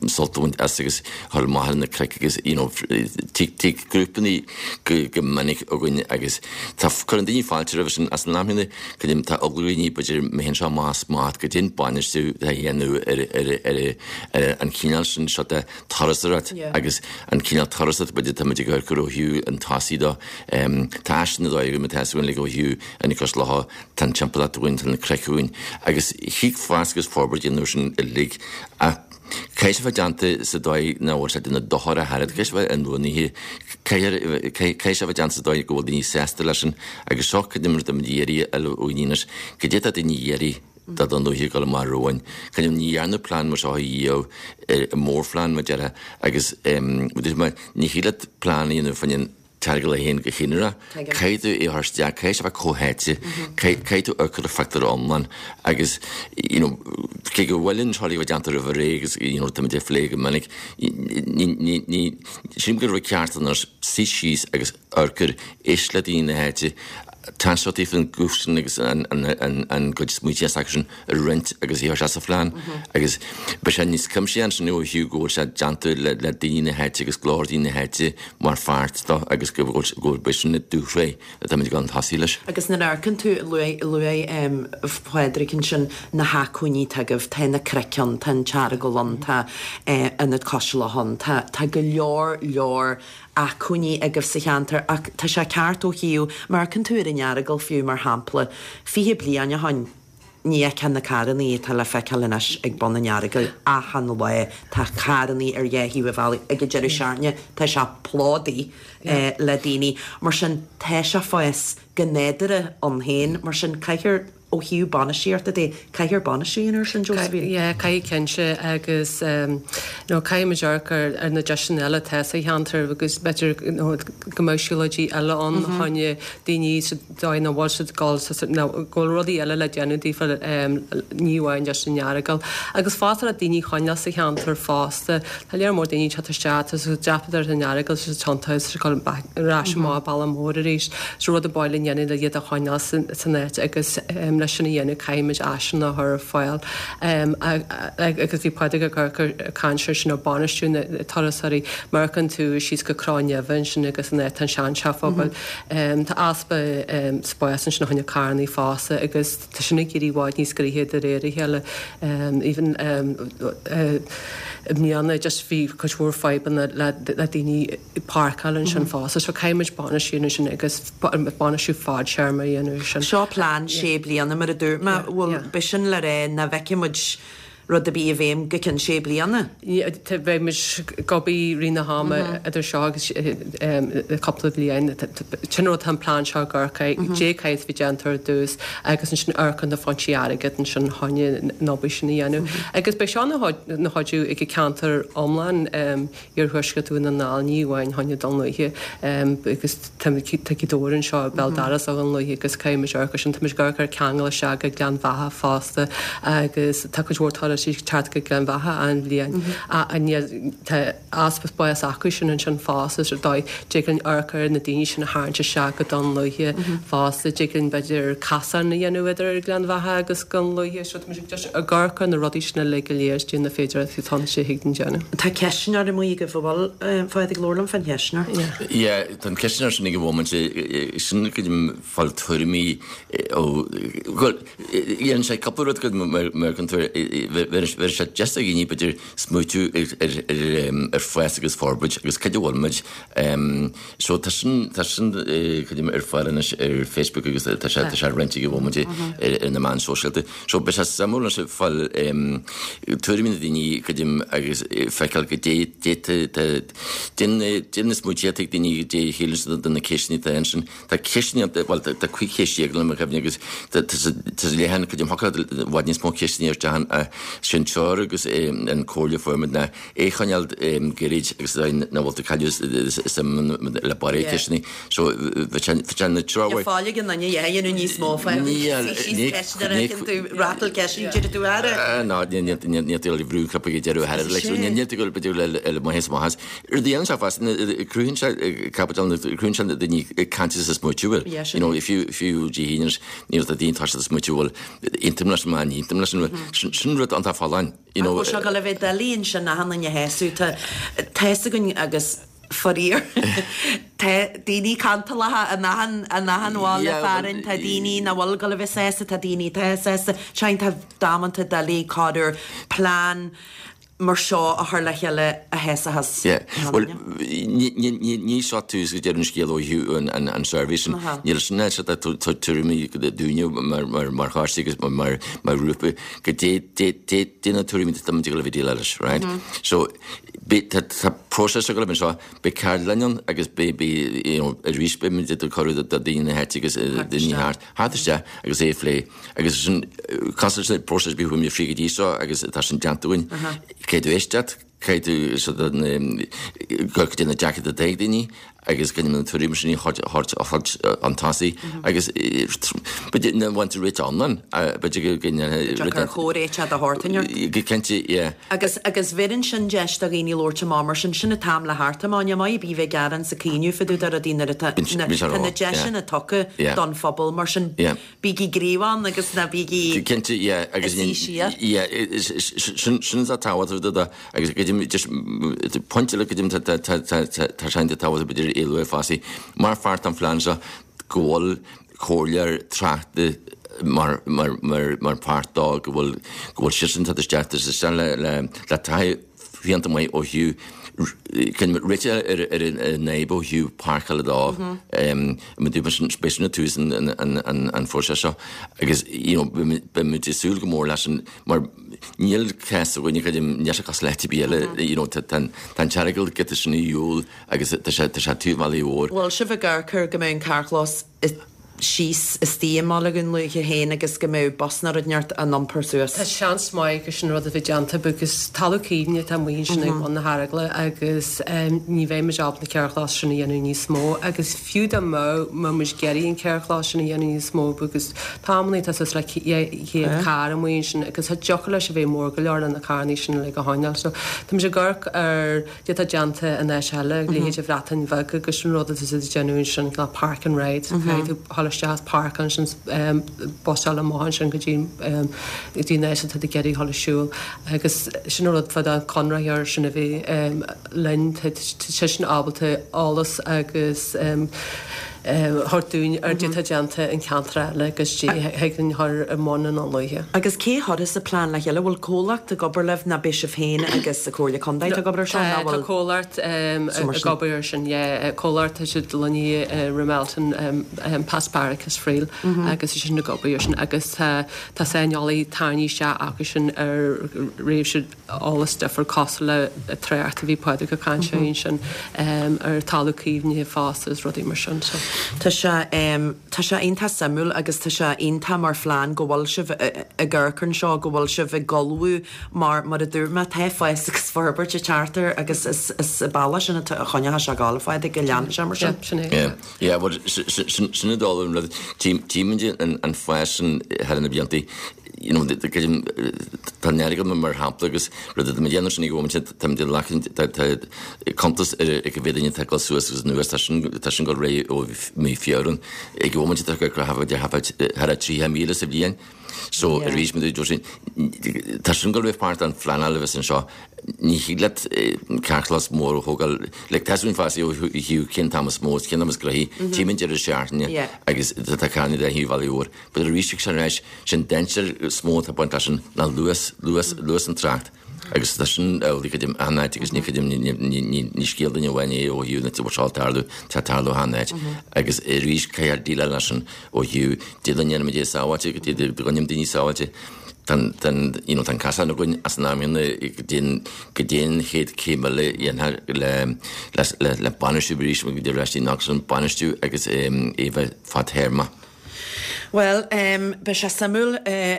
sult a bhaint as agus dhul amach ar na cnoic agus you know tig tig grúpanna go go minic againn agus tá cuireann daoine fáilte roimhe sin ach san am chéanna creidim tá eagla ar dhaoine b'fhéidir má théann seo amach as smacht goidé an bainistiú atá á dhéanamh ar ar ar ar an chineál sin seo de turasóireacht agus an cineál turasóireacht b'fhéidir tá muid ag amharc ar ó thaobh an tosaigh de. Tá áiseanna dóigh. dóigh againn, tá a fhios againn like ó thaobh Ionad Cois Locha, tá an timpeallacht againn, tá na cnoic againn agus thig fás agus forbairt a dhéanamh air sin uilig ach caithfidh sé bheith déanta sa dóigh nach bhfuil sé ag déanamh dochar ach oiread, caithfidh sé bheith inbhuanaithe, caithfidh sé bheith déanta sa dóigh go bhfuil daoine sásta leis sin agus seo cad é mar atá muid ag iarraidh a fháil ó dhaoine anois, cad é atá daoine ag iarraidh do Dún Lúiche ag dul amach romhainn. Cad é ní dhearnadh plean mar seo riamh, mórphlean mar a déarfá agus ní thig leat plean a dhéanamh fá choinne an tEaragail é féin go haonarach. Caithfidh tú é a chur isteach, caithfidh sé a bheith comhtháite, caithfidh tú amharc ar an phictiúr iomlán agus you know cé go bhfuil an seo a bheith déanta roimh ré agus you know táimid ag plé go minic, ní, ní, ní, sílim go raibh ceart anois suí síos agus amharc air, éist le daoine na háite, tá sé taobh an guth sin agus an gcuid smaointe s'acu sin a roinnt agus a chur isteach sa phlean agus beidh sé níos cuimsithí ansin ó thaobh go bhfuil sé déanta le daoine na háite agus glór daoine na háite mar pháirt dó agus go bhfuil beidh sin i dúshraith atáimid ag dul chun tosaigh leis. Agus nuair a amharcann tú, luaigh Pádraig ansin na hacmhainní atá agaibh, tá na cnoic ann, tá an tEaragal ann, tá Ionad Cois Locha ann, tá go leor leor acmhainní agaibh sa cheantar ach tá sé ceart ó thaobh, má amharcann tú ar an Earagail fiú mar shampla, 20 bliain ó shoin ní fheicfeá na carrannaí atá le feiceáil anois ag bun an Earagail achan lá, tá carrannaí ar dhá thaobh an bhealaigh, ag an deireadh seachtaine tá sé plódaithe le daoine, mar sin tá sé ag fás go nádúrtha ann féin, mar sin caithfear. Ó thaobh bainistíochta de, caithfear bainistiú a dhéanamh air sin, Josephine. Yeah, caithfidh cinnte agus you know caithfidh muid amharc ar ar na deiseanna eile atá sa cheantar agus b'fhéidir you know go mbeadh siúlóidí eile ann fá choinne daoine sa dóigh nach bhfuil siad ag dul sa nó go bhfuil rudaí eile le déanamh daofa ní amháin just an Earagail. Agus fosta le daoine a choinneáil sa cheantar fosta. Tá lear mór daoine ag teacht isteach, tá siad ag dreapadh ar an Earagail, tá siad tiontaithe, tá siad ag dul back ar ais amach bealach mór arís. So rud ar bith le dhéanamh le iad a choinneáil san áit agus leis sin a dhéanamh caithfimid áiseanna a chur ar fáil. Agus bhí Pádraig ag ag caint ar sin ar bainistiú na turasóirí. Má amharcann tú síos go Cró Neimhe ansin agus an áit tá an seanteach phobail. Tá easpa spáis ansin fá choinne carrannaí fosta agus tá sin ag éirí i bhfad níos gnoithí de réir a chéile. Even i mbliana just bhí cuid mhór fadhbanna le daoine ag páirceáil ansin fosta. So caithfidh muid bainistiú ansin agus bainistiú fadtéarma a dhéanamh ar sin. Seo plean sé bliana mar a dúirt mé. Bhuel, b'shin le rá nach bhfeicfidh muid rud ar bith i bhfeidhm go ceann sé bliana. Beidh muid ag obair i rith na hama idir seo agus cúpla bliain. Sin rud tá an plean seo ag amharc air, caidé caithfidh a bheith déanta ar dtús agus ansin amharc ar na foinsí airgid ansin chun an obair sin a dhéanamh. Agus beidh seo ina chuidiú ag an ceantar iomlán. Iarthuaisceart Dhún na nGall, ní amháin fá choinne Dún Lúiche agus tá Gaoth Dobhair anseo béal dorais ó Dhún Lúiche agus caithfidh muid amharc ar sin. Tá muid ag amharc ar ceangal isteach go Gleann Bheatha fosta agus tá cuid mhór turasóirí ag teacht go Gleann Bheatha achan bhliain ach tá easpa spáis acu sin ansin fosta so dóigh dtig linn amharc ar na daoine sin a tharraingt isteach go Dún Lúiche fosta dtig linn b'fhéidir casán a dhéanamh idir Gleann Bheatha agus Dún Lúiche so tá muid ag ag amharc ar na rudaí sin uilig go léir is na féidearthachtaí atá ann is a thig linn déanamh. Tá ceistneoir amuigh agaibh an bhfuil, a Phádraig, labhair liom fán cheistneoir. Yeah, tá an ceistneoir sin ag an bhomaite, sin go fáil tuairimí ó, bhuel, dhéanann sé cúpla rud go mar chuntar, bheir sé deis do dhaoine b'fhéidir smaoitiú ar fás agus forbairt agus cad a bhfuil muid. So tá sin, tá sin creidim ar fáil anois ar Facebook agus tá sé, tá sé roinnte ag an bhomaite ar na meáin shóisialta. So beidh sé suimiúil anois fáil tuairimí na daoine creidim agus feiceáil goidé goidé na smaointe atá ag daoine goidé a shíleann siad de na ceisteanna atá ansin. Tá ceisteanna, bhuel tá 15 cheist le mo chuimhne agus tá sé leathan creidim thiocfadh leat i bhfad níos mó ceisteanna a chur isteach ann. Sin treoir agus an comhairle a fuair muid ná é a choinneáil gairid agus nach bhfuil tú ag cailleadh suim le barraíocht ceisteanna. So bhí sé na treoir. Níl fáil ag an duine a dhéanamh níos mó fá ceisteanna tú ratal ceisteanna deireadh tú aire. Ná níl tú ag brú cnaipe ag deireadh aire leis. Níl tú ag b'fhéidir le maitheas maitheas. Rud a dhéanann sé fosta cruthaíonn sé caibidil cruthaíonn sé na daoine ag caint is ag smaoitiú bhfuil. You know fiú fiú Dé hAoine níl tá daoine tá siad ag smaoitiú bhfuil aontaím leis an ní aontaím leis an sin rud iontach folláin. You know. Ach bhfuil sé ag dul a bheith doiligh ansin achan duine a shásamh tá tá fhios againn agus faraor tá daoine cantalacha in achan in achan bhaile fearainn tá daoine nach bhfuil ag dul a bheith sásta tá daoine atá sásta tá damanta doiligh corruair plean. mar seo a chur le chéile a sheasfas. Yeah. Bhuel, ní seo tús go deireadh an scéil ó thaobh an suirbhé sin. Níl sin é seo tuairimí dúinne mar choiste agus mar ghrúpa goidé goidé na tuairimí atá muid ag dul a bheith ag déileáil leis, right? So, tá próiseas ag dul anseo, beidh ceardlann ann agus beidh, you know, arís beidh muid ag cuireadh do daoine na háite agus daoine thart, theacht isteach agus é a phlé. Agus sin, cosúil leis an bpróiseas a bhí chuaigh muid fríd go dtí seo agus tá sin déanta againn. Caithfidh tú éisteacht, caithfidh tú sort of goidé na deacrachtaí atá ag daoine agus caithfidh na tuairimí sin a thabhairt chun tosaigh agus b'fhéidir nach bhfaigheann tú réiteach iomlán, b'fhéidir go Deacair comhréiteach de shórt inteacht. Go cinnte, yeah. Agus agus bheireann sin deis do dhaoine labhairt amach mar sin, sin an t-am le theacht amach. Ní maith ar bith bheith ag gearán 's ag caoineadh fá dtaobh de rudaí nuair atá tá na deiseanna tugtha don phobal mar sin. Bígí gníomhach agus ná bígí Cinnte, yeah, agus ag suí siar. Yeah, sin sin atá tábhachtach do agus go just pointe eile go tá tá tá tá tá sé tábhachtach b'fhéidir a lua fosta mar pháirt den phlean seo go bhfuil comhairleoir tráchta mar mar mar mar pháirt dó go bhfuil go bhfuil siadsan ag teacht isteach isteach le le le taithí fiúntach maith ó thaobh réiteach ar an fhadhb ó thaobh páirceála dó. Beidh sin ag tús an phróiseas seo agus you know beidh muid ag súil go mór leis an mar níl cás againne níl sé cosúil le háit ar bith eile you know tá an tEaragail giota sin ar shiúl agus tá sé tá sé taobh an bhealaigh mhóir. Bhfuil sibh ag amharc ar go mbeidh an carrchlós síos istigh i mbaile Dhún Lúiche féin agus go mbeadh bus nó rud inteacht á n-iompar suas. Tá seans maith gur sin rud a bheidh déanta because talamh caomhnaithe atá amuigh ansin ag bun na hEaragla agus ní bheidh muid ábalta an carrchlós sin a dhéanamh níos mó agus fiú dá mbeadh mbeadh muid ag iarraidh an carrchlós sin a dhéanamh níos mó because tá amannaí tá suas le 200 carr amuigh ansin agus tá deacair leis a bheith mór go leor le na carrannaí sin uilig a choinneáil so tá muid ag amharc ar Cad atá déanta in áit eile, leithéid an Bhreatain Bheag agus an rud atá siad ag déanamh ansin, cineál park and ride, caithfidh tú dhul isteach is páirceáil ansin, busáil amach ansin go dtí go dtí an áit atá tú ag iarraidh dhul ag siúl agus sin an rud fá an conraitheoir sin a bheith linn, tá seisean ábalta eolas agus thabhairt dúinn ar cad atá déanta in ceantar eile agus thig linn a chur i mbun i nDún Lúiche. Agus cé a chuirfeas an plean le chéile? Bhfuil comhlacht ag obair libh nó beidh sibh féin agus an Comhairle Contae atá ag obair ar seo nó bhfuil Tá comhlacht ag obair ar sin, yeah. Comhlacht tá siad lonnaithe i Ramelton, Pasparakis Friel agus tá siad ag obair ar sin agus tá tá saineolaí tarraingthe isteach acu sin ar réimse eolas difriúil cosúil le trácht a bhí Pádraig ag caint air ansin ar talamh caomhnaithe fosta is rudaí mar sin so. Tá sé tá sé iontach suimiúil agus tá sé iontach mar phlean go bhfuil sibh ag amharc anseo, go bhfuil sibh ag ullmhú mar mar a dúirt mé tá fás agus forbairt ag teacht air agus is is an bealach sin atá a choinneoidh sé ag gabháil a Phádraig go leanfaidh sé mar sin. Yeah, sin é. Yeah, yeah, well sin an dóigh an rud, tímid an fás sin thar na blianta you know, tá an Earagail mar shampla agus rud atá muid ag déanamh sin ag an bhomaite, tá muid ag glacadh, tá cuntas ar cá mhéad duine atá ag dul suas agus anuas, tá sin, tá sin ag dul ar aghaidh ó mhí Feabhra. Ag an bhomaite tá thar 30,000 sa bhliain. So arís, mar a dúirt sin, tá sin ag dul a bheith páirt den phleanáil a bheas anseo. Ní thig leat carrchlós mór a thógáil, like tá súil fásaí ó thaobh cén t-am is mó, cén t-am is gnoithí, tím an deireadh seachtaine agus tá carranna de thaobh Bhaile Mhóir. But arís ag sin ar ais, sin dainséar is mó atá ag baint leis sin ná luas, luas, luas an trácht. Agus tá sin amhlaidh creidim achan áit agus ní creidim, ní scéal duine amháin é ó thaobh na bhfuil seo ag tarlú, tá ag tarlú achan áit. Agus arís caithfear déileáil leis sin ó thaobh dé go ndéanaimid é sábháilte, go dtí go gcoinnímid daoine sábháilte. Tá an, you know, tá an casán againn as an am chéanna go dtí an, go dtí an chéad chéim eile a dhéanfar le, le, le bainistiú arís, go dtí ar ais an bainistiú agus é a bheith fadtéarmach. Bhuel, beidh sé suimiúil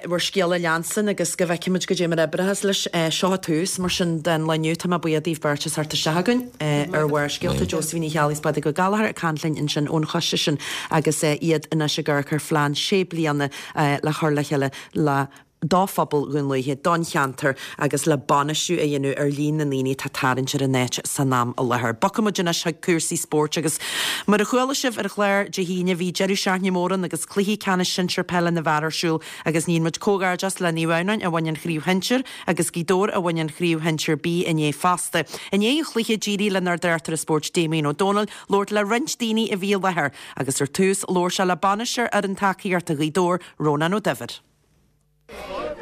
bhur scéal a leanstan agus go bhfeicfimid goidé mar a oibreochas leis. Seo an tús, mar sin, den lá inniu. Tá mé buíoch daoibh beirt as theacht isteach chugainn ar Bharrscéalta. Josephine Ní Cheallaigh is Pádraig Ó Gallchóir ag caint linn ansin ón choiste sin agus iad anois ag amharc ar phlean sé bliana le chur le chéile le do phobal Dhún Lúiche, don cheantar agus le bainistiú a dhéanamh ar líon na ndaoine atá ag tarraingt ar an áit san am i láthair. Bogfaidh muid anois chuig cúrsaí spóirt agus mar a chuala sibh ar an chlár Dé hAoine bhí deireadh seachtaine mór ann agus cluichí ceannais sinsir peile na bhfear ar siúl agus níonn muid comhghairdeas le Naomh Adhamhnáin a bhain an chraobh shinsir agus Gaoth Dobhair a bhain an chraobh shinsir B inné fosta. I ndiaidh an chluiche d'éirigh lenár dtráchtaire spóirt Damien Ó Dónaill labhairt le roinnt daoine a bhí i láthair agus ar tús labhair sé le bainisteoir fhoireann tacaíochta Ghaoth Dobhair, Rónán Ó Duibhir.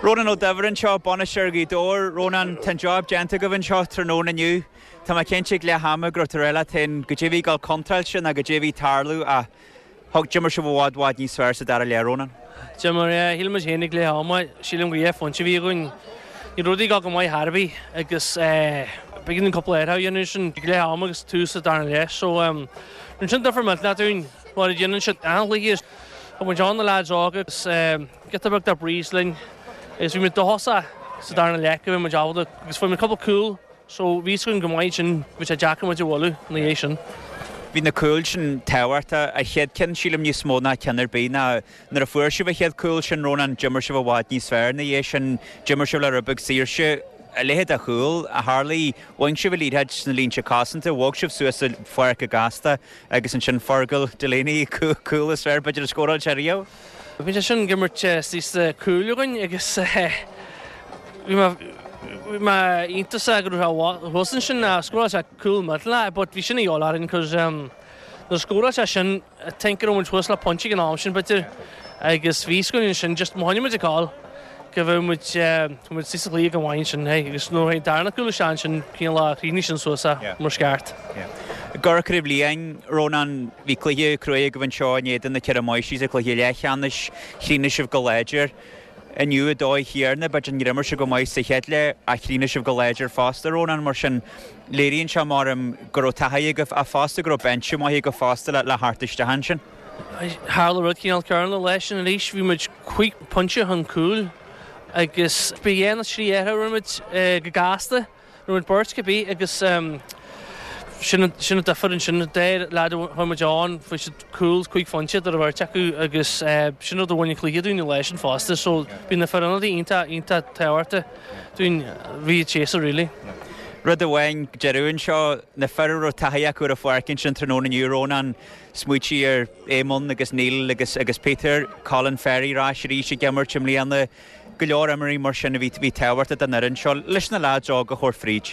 Rónán Ó Duibhir anseo, bainisteoir Ghaoth Dobhair. Rónán, tá an job déanta agaibh anseo tráthnóna inniu. Tá mé cinnte ag leath ama go raibh tú ag rá leat féin goidé a bhí ag dul contráilte ná goidé a bhí ag tarlú ach thug, d'imir sibh i bhfad bhfad níos fearr sa dara leath, Rónán. D'imir, yeah. Shíl muid féin ag leath ama, sílim gur 2 phointe a bhí againn. Ní raibh rudaí ag dul go maith ar bith agus b'éigean dúinn cúpla athrú a dhéanamh ansin ag leath ama agus tús an darna leath. So, rinne sin difear millteanach dúinn mar a dhéanann siad achan chluiche. Thug muid ann na leaids óga agus giota beag de breeze linn agus bhí muid dóchasach sa darna leath go mbeadh muid ábalta agus fuair muid cúpla cúl so bhí fhios againn go maith ansin bhí sé deacair muid a bhualadh ina dhiaidh sin. Bhí na cúil sin tábhachtach. An chéad ceann sílim níos mó ná ceann ar bith ná nuair a fuair sibh an chéad cúl sin Rónán d'imir sibh i bhfad níos fearr ina dhiaidh sin. D'imir sibh le rud beag saoirse. A leithéid de chúl a tharlaigh. Bhain sibh an liathróid sna línte cosanta, bhog sibh suas sa pháirc go gasta Agus ansin Fergal Delaney, cúl is fearr b'fhéidir a scóráil sé riamh. Bhí sé sin ag imirt istigh sa cúl againn agus bhí mé bhí mé iontasach go raibh sé thuas ansin scóráil sé cúl millteanach but bhí sin a dhíobháil orainn cos nuair a scóráil sé sin I think go raibh muid thuas le pointe ag an am sin b'fhéidir agus bhí fhios againn ansin just má choinnigh muid ag gabháil go bheadh muid muid istigh sa chluiche go maith ansin hey agus nuair a tháinig an darna cúl isteach ansin cineál chríochnaigh sin suas é mar is ceart. I gCorca Uíbh Liatháin, Rónán, bhí cluiche cruaidh agaibh anseo in éadan na Ceithre Máistrí sa chluiche leathcheannais, chríochnaigh sibh go láidir. Inniu an dóigh chéanna, b'fhéidir nár imir sibh go maith sa chéad leath ach chríochnaigh sibh go láidir fosta, Rónán, mar sin léiríonn sé mar go raibh taithí agaibh ach fosta go raibh binse maith agaibh fosta le theacht isteach ansin. Tharla rud cineál céanna an lá sin arís, bhí muid cúig phointe chun cúil agus bhí dhá nó trí athrú a rinne muid go gasta, rinne muid beirt cibé agus sin an difear ansin, an dá leaid a chuir muid ann, fuair siad cúl cúig phointe idir an bheirt acu agus sin rud a bhain an cluiche dúinn an lá sin fosta so bhí na fir ionadaí iontach, iontach tábhachtach dúinn, bhí an séasúr really. Rud amháin deireadh anseo, na fir a raibh taithí acu ar an pháirc ansin tráthnóna inniu, Rónán, Smaoitigh ar Éamonn agus Neil agus agus Peter, Colin Ferry ar ais arís ag imirt i mbliana, go leor imreoirí mar sin a bhí bhí tábhachtach don fhoireann seo leis na leaids óga a thabhairt fríd.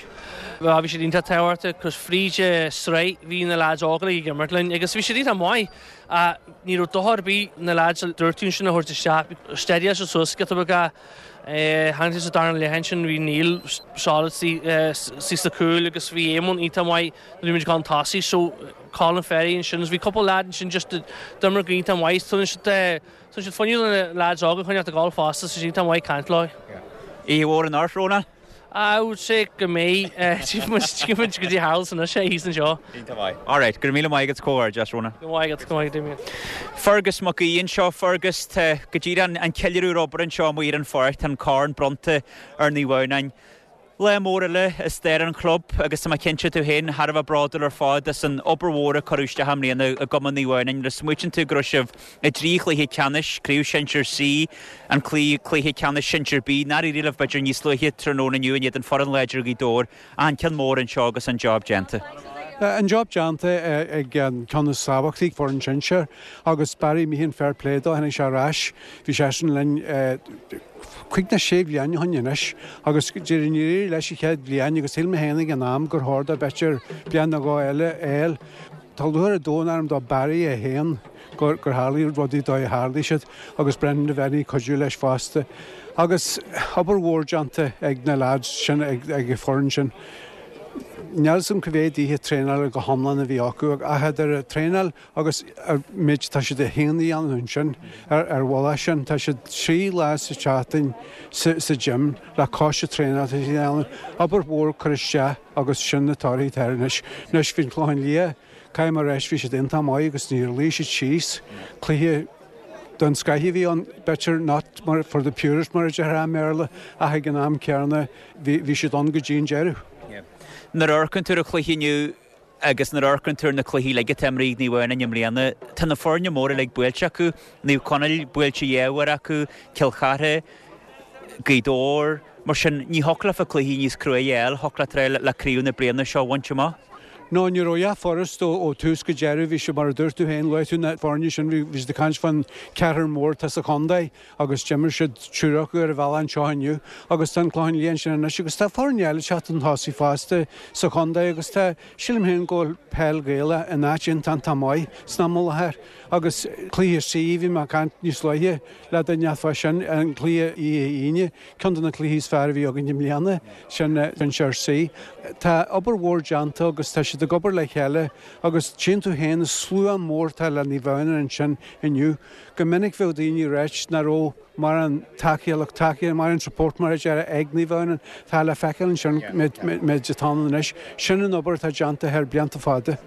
Bhuel bhí siad iontach tábhachtach cos fríd an sraith bhí na leaids óga ag imirt linn agus bhí siad iontach maith ach ní raibh dochar ar bith na leaids a dúirt tú ansin a thabhairt isteach. Steadyáil siad suas giota beag tháinig siad sa darna leath ansin bhí Neil solid istigh sa cúl agus bhí Éamonn iontach maith nuair a bhí muid ag dul chun tosaigh so Colin Ferry ansin agus bhí cúpla leaid ansin just a d'imir go iontach maith. Tugann siad tugann siad fuinneamh do na leaids óga choinneáil ag gabháil fosta so iontach maith caint leo. Oíche mhór anocht, Rónán. I would say go mbeidh. Tchífidh muid tchífidh muid goidé a tharlós anois é thíos anseo. Iontach maith. Alright, go raibh míle maith agat comhghairdeas, Rónán. Go maith agat, go maith agat Damien. Fergus Mac Aoidh anseo. Fergus, tá go díreach an ceiliúradh ar obair anseo amuigh ar an pháirc, tá an corn bronnta ar Naomh Adhamhnáin. Lá mór eile i stair an chlub agus tá mé cinnte tú féin thar a bheith bródúil ar fad as an obair mhór a cuireadh isteach i mbliana i gCumann Naomh Adhamhnáin. Nuair a smaoitíonn tú go raibh sibh i dtrí chluiche ceannais, Craobh Shinsir C, an cluiche ceannais Sinsir B, nár éirigh libh b'fhéidir níos luaithe tráthnóna inniu in éadan foireann láidir Ghaoth Dobhair, ach an ceann mór anseo agus an job déanta. An job déanta ag an ceann is tábhachtaí, foireann sinsir, agus Barry Meehan fair play dó, tháinig sé ar ais, bhí seisean linn, Cúig nó sé bhliain ó shin anois agus níor éirigh leis an chéad bhliain agus shíl mé féin ag an am gur chóir dó b'fhéidir bliain nó dhó eile a fháil. Tá lúcháir an domhain orm do Barry é féin gur tharlaigh rudaí dóigh a tharlaigh siad agus Brendan Devenney ag cuidiú leis fosta. Agus obair mhór déanta ag na lads sin ag an foireann sin. Níl 'fhios a'm cá mhéad oíche traenála go hiomlán a bhí acu ach idir an traenáil Agus an méid atá siad féin a dhéanamh ansin ar an mhullach sin, tá siad 3 lá sa tseachtain sa gym le cois an traenáil atá siad a dhéanamh. Obair mhór curtha isteach agus sin na torthaí atá air anois. Anois bhí an Clochán Liath, caithfidh mé a rá, bhí siad iontach maith agus níor luigh siad síos. Cluiche den scoith a bhí ann, b'fhéidir not for the purist mar a déarfá i mBéarla ach ag an am céanna bhí siad ann go dtí an deireadh. Nuair a amharcann tú ar an chluiche inniu, Agus nuair a amharcann tú ar na cluichí uilig atá imrithe ag Naomh Adhamhnáin i mbliana, tá na foirne móra uilig buailte acu, Naomh Conaill buailte dhá uair acu, Cill Chartha, Gaoth Dobhair, mar sin ní thiocfadh leofa cluichí níos cruaidhe a fháil, thiocfadh leat le craobh na bliana seo a bhaint amach. No, ní raibh a dhath furast ó tús go deireadh. Bhí sé mar a dúirt tú féin, luaigh tú na foirne sin, bhí siad ag caint fán ceathrar mór atá sa chontae agus d'imir siad triúr acu ar an bhealach anseo inniu agus tá an Clochán Liath ansin anois agus tá foirne eile ag teacht chun tosaigh fosta sa chontae agus tá, sílim féin go bhfuil peil Ghaelach in áit iontach maith san am i láthair agus cluiche C, bhí mé ag caint níos luaithe le duine fá sin, an cluiche oíche Aoine, ceann de na cluichí is fearr a bhí againn i mbliana, sin Sinsear C. Tá obair mhór déanta agus tá siad ag obair le chéile agus tchíonn tú féin an slua mór atá le Naomh Adhamhnáin ansin inniu. Go minic bheadh daoine ag ráit nach raibh mórán tacaíocht, tacaíocht, mórán support mar a déarfá ag Naomh Adhamhnáin. Tá le feiceáil ansin méid atá ann anois. Sin an obair atá déanta thar blianta fada.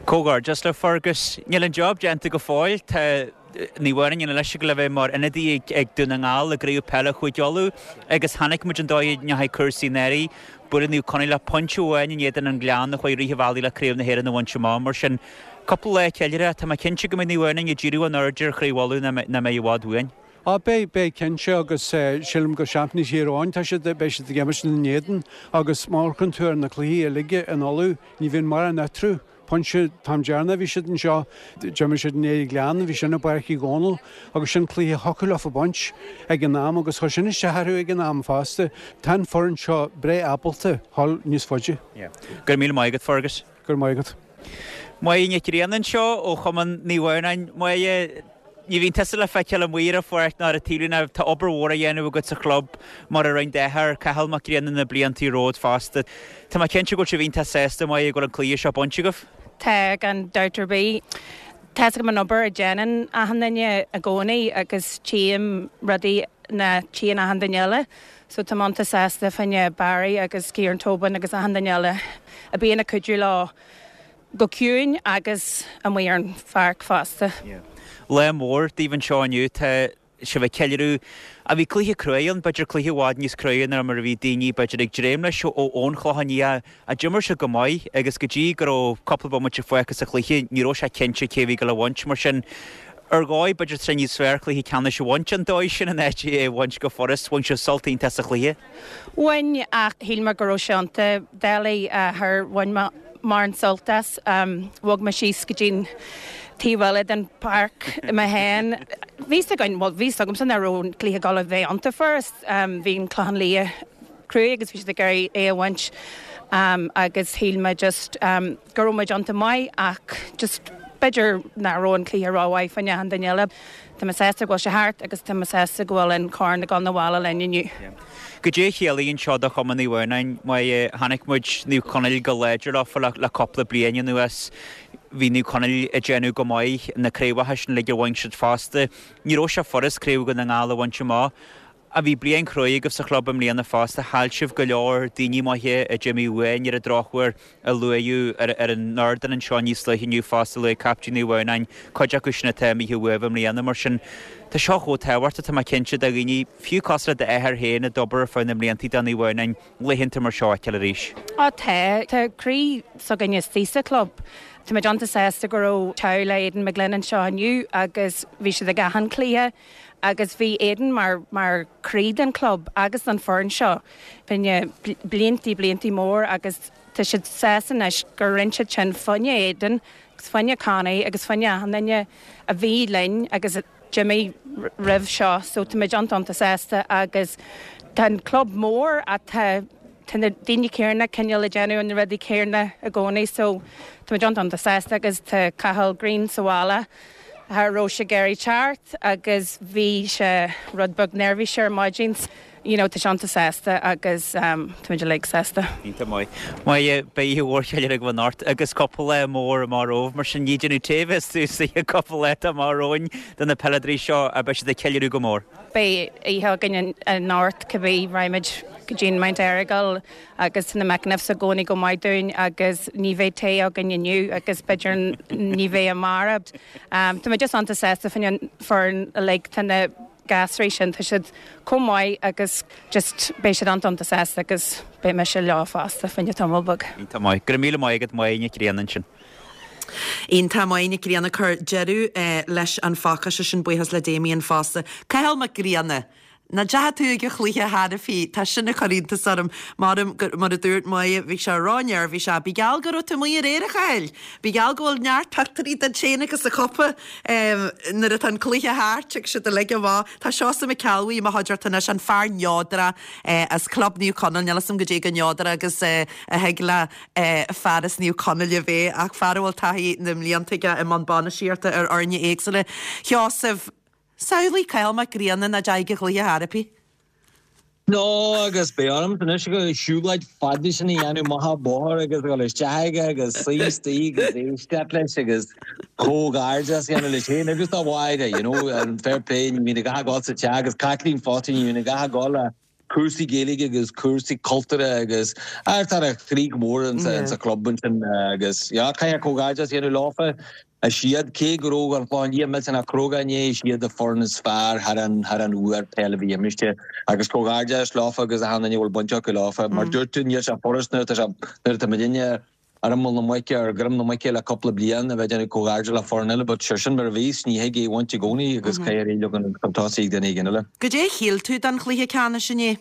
Comhghairdeas le Fergus. Níl an job déanta go fóill. Tá. Naomh Adhamhnáin anois ag gabháil a bheith mar ionadaí ag Dún na nGall i gCraobh Peile Chúige Uladh agus chonaic muid an dóigh a ndeachaigh cúrsaí anuraidh. Buaileadh Naomh Conaill le pointe amháin in éadan an Ghleann a chuaigh rith an bhealaigh le Craobh na hÉireann a bhaint amach. Mar sin, cúpla lá ceiliúrtha, tá mé cinnte go mbeidh Naomh Adhamhnáin ag díriú a n-aird ar Chraobh Uladh nach mbeidh i bhfad uainn. Á, beidh, beidh cinnte agus sílim gur seaimpíní Thír Eoghain tá siad, beidh siad ag imirt ina n-éadan agus má amharcann tú ar na cluichí uilig in Uladh, ní bhíonn mórán eatarthu. Pointe, an t-am deireanach a bhí siad anseo, d'imir siad in éadan Ghleann, bhí sin i bPáirc Uí Dhónaill agus sin cluiche a thiocfadh leofa baint ag an am agus chuir sin isteach orthu ag an am fosta. Tá an foireann seo breá ábalta dhul níos faide. Go raibh míle maith agat, Fergus. Go raibh maith agat. Máire Nic Grianna anseo ó Chumann Naomh Adhamhnáin. Máire, Ní bhíonn tusa le feiceáil amuigh ar an pháirc ná ar an taobhlíne. Tá obair mhór á dhéanamh agat sa chlub, mar a rinne d'athair, Cathal Mac Grianna, na blianta romhat fosta. Tá mé cinnte go bhfuil sibh iontach sásta, Máire, go bhfuil an cluiche seo bainte agaibh. Tá, gan dabht ar bith. Tá's agam an obair a dhéanann achan duine i gcónaí agus tchím rudaí nach dtchíonn achan duine eile. So tá mé iontach sásta fá choinne Barry agus Kieran Tobin agus achan duine eile a bíonn ag cuidiú leo. Go ciúin agus amuigh ar an pháirc fosta. Lá mór daoibh anseo inniu. Tá sibh ag ceiliúradh. Ach bhí cluiche cruaidh ann, b'fhéidir cluiche i bhfad níos cruaidhe ná mar a bhí daoine b'fhéidir ag dréim leis ón Chlochán Liath. Ach d'imir sibh go maith agus go dtí go raibh cúpla bomaite fágtha sa chluiche ní raibh sé cinnte cé a bhí ag dul a bhaint. Mar sin, ar dhóigh b'fhéidir tá sé níos fearr cluiche ceannais a bhaint an dóigh sin in áit é a bhaint go furast. Bhain sibh sult iontach as an chluiche. Bhain, ach shíl mé go raibh sé iontach doiligh. Char bhain mé mórán sult as. Bhog mé síos go dtí'n taobh eile den pháirc mé féin. Bhí 's againn, bhuel bhí 's agamsa nach raibh an cluiche ag dul a bheith iontach furast. Bhí an Clochán Liath cruaidh agus bhí siad ag iarraidh é a bhaint agus shíl mé just go raibh muid iontach maith ach just b'fhéidir nach raibh an cluiche rómhaith fá choinne achan duine eile. Tá mé sásta go bhfuil sé thart agus tá mé sásta go bhfuil an corn ag dul 'na bhaile linn inniu. Goidé a chiallaíonn seo do Chumann Naomh Adhamhnáin? Mar chonaic muid Naomh Conaill go láidir leofa le cúpla bliain anuas. Bhí Naomh Conaill ag déanamh go maith, na craobhacha sin uilig a bhain siad fosta. Ní raibh sé furast Craobh Dhún na nGall a bhaint amach. Ach bhí bliain chruaidh agaibh sa chlub i mbliana fosta. Chaill sibh go leor daoine maithe a d'imigh uainn ar an drochuair a luadh ar an ardán anseo níos luaithe inniu fosta, luaigh captaen Naomh Adhamhnáin cuid acu sin atá imithe uaibh i mbliana. Mar sin, tá seo chomh tábhachtach, tá mé cinnte, do dhaoine, fiú cosúil le d'athair féin a d'obair ar feadh na mblianta do Naomh Adhamhnáin, laethanta mar seo a fheiceáil arís. Á tá. Tá croí s'againne istigh sa chlub. Tá muid iontach sásta go raibh teaghlach Aidan McGlynn anseo inniu agus bhí siad ag achan cluiche. Agus bhí Aidan mar mar croí den club agus den foireann seo fá choinne bliantaí bliantaí mór agus tá siad sásta anois gur rinne siad sin fá choinne Aidan agus fá choinne Connie agus fá choinne achan duine a bhí linn agus a d'imigh roimh seo so tá muid iontach iontach sásta agus tá an club mór ach tá tá na daoine céarna cineál ag déanamh na rudaí céarna i gcónaí so tá muid iontach iontach sásta agus tá Cathal Greene sa bhaile Cha raibh sé ag iarraidh teacht agus bhí sé rud beag neirbhíseach ar maidin. You know, tá sé iontach sásta agus táimid uilig sásta. Iontach maith. Maith, beidh oíche mhór cheiliúrtha agaibh anocht agus cúpla lá mór amach romhaibh, mar sin ní déanamh tae a bheas suas cúpla lá atá amach romhainn do na peileadóirí seo ach beidh siad ag ceiliúradh go mór. Beidh oíche againn anocht cibé, raghaimid go dtí an Mount Errigal agus tá na McEniffs i gcónaí go maith dúinn agus ní bheidh tae againn inniu agus b'fhéidir ní bheidh amárach. Tá mé just iontach sásta fá choinne an foireann uilig, tá na gasraí sin, tá siad chomh maith agus just beidh siad iontach iontach sásta agus beidh mise leo fosta fá choinne tamall beag. Iontach maith. Go raibh míle maith agat Máire Nic Grianna ansin. Iontach Máire Nic Grianna ag cur deireadh leis an phacáiste sin, buíochas le Damien fosta. Cathal Mac Grianna. Nach ndeachaigh tú ag an chluiche cheana féin, tá sin ag cur iontas orm. Mar, mar a dúirt Máire, bhí sé ró-neirbhíseach. Bí geall go raibh tú amuigh aréir, a Chathail! Bí geall go bhfuil neart pictiúirí duit féin agus an chupa nuair atá an cluiche thart, ag siad uilig amach. Tá Seosamh Mac Ceallbhuí i mo chuideachta anois, an fear neodrach as Club Naomh Conaill. Níl 'fhios a'm goidé chomh neodrach agus a thig le fear as Naomh Conaill a bheith, ach fear a bhfuil taithí na mblianta aige i mbun bainistíochta ar fhoirne éagsúla. Sheosamh, Samhlaigh Cathal Mac Grianna nach dteachaigh ag an chluiche ar bith. No, agus beidh orm anois siúlóid fada sin a dhéanamh amach an bóthar agus a dhul isteach aige agus suí istigh agus éisteacht leis agus comhghairdeas a dhéanamh leis féin agus dá Mháire, you know, an fair play, ní bhíonn a dhath ag dul sa teach agus Caitlín fosta, ní bhíonn a dhath ag dul le cúrsaí Gaeilge agus cúrsaí cultúrtha agus tá a chroí go mór insa chlub ansin agus yeah caithfidh comhghairdeas a dhéanamh leofa. Is iad, cé go raibh an Clochán Liath millteanach cróga inné, is iad an foireann is fearr thar an thar an uair peil a bhí imirte agus comhghairdeas leofa agus achan duine a bhfuil baint acu leofa. Mar dúirt tú níl sé furast nuair atá sé nuair atá muidinne ar imeall na muice, ar dhroim na muice le cúpla bliain, a bheith ag déanamh comhghairdeas le foireann eile, but sure sin mar a bhíos, ní thig é a bhaint i gcónaí agus caithfidh ar aghaidh leo chun tosaigh ag duine éigin eile. Goidé a shíl tú den chluiche ceannais inné?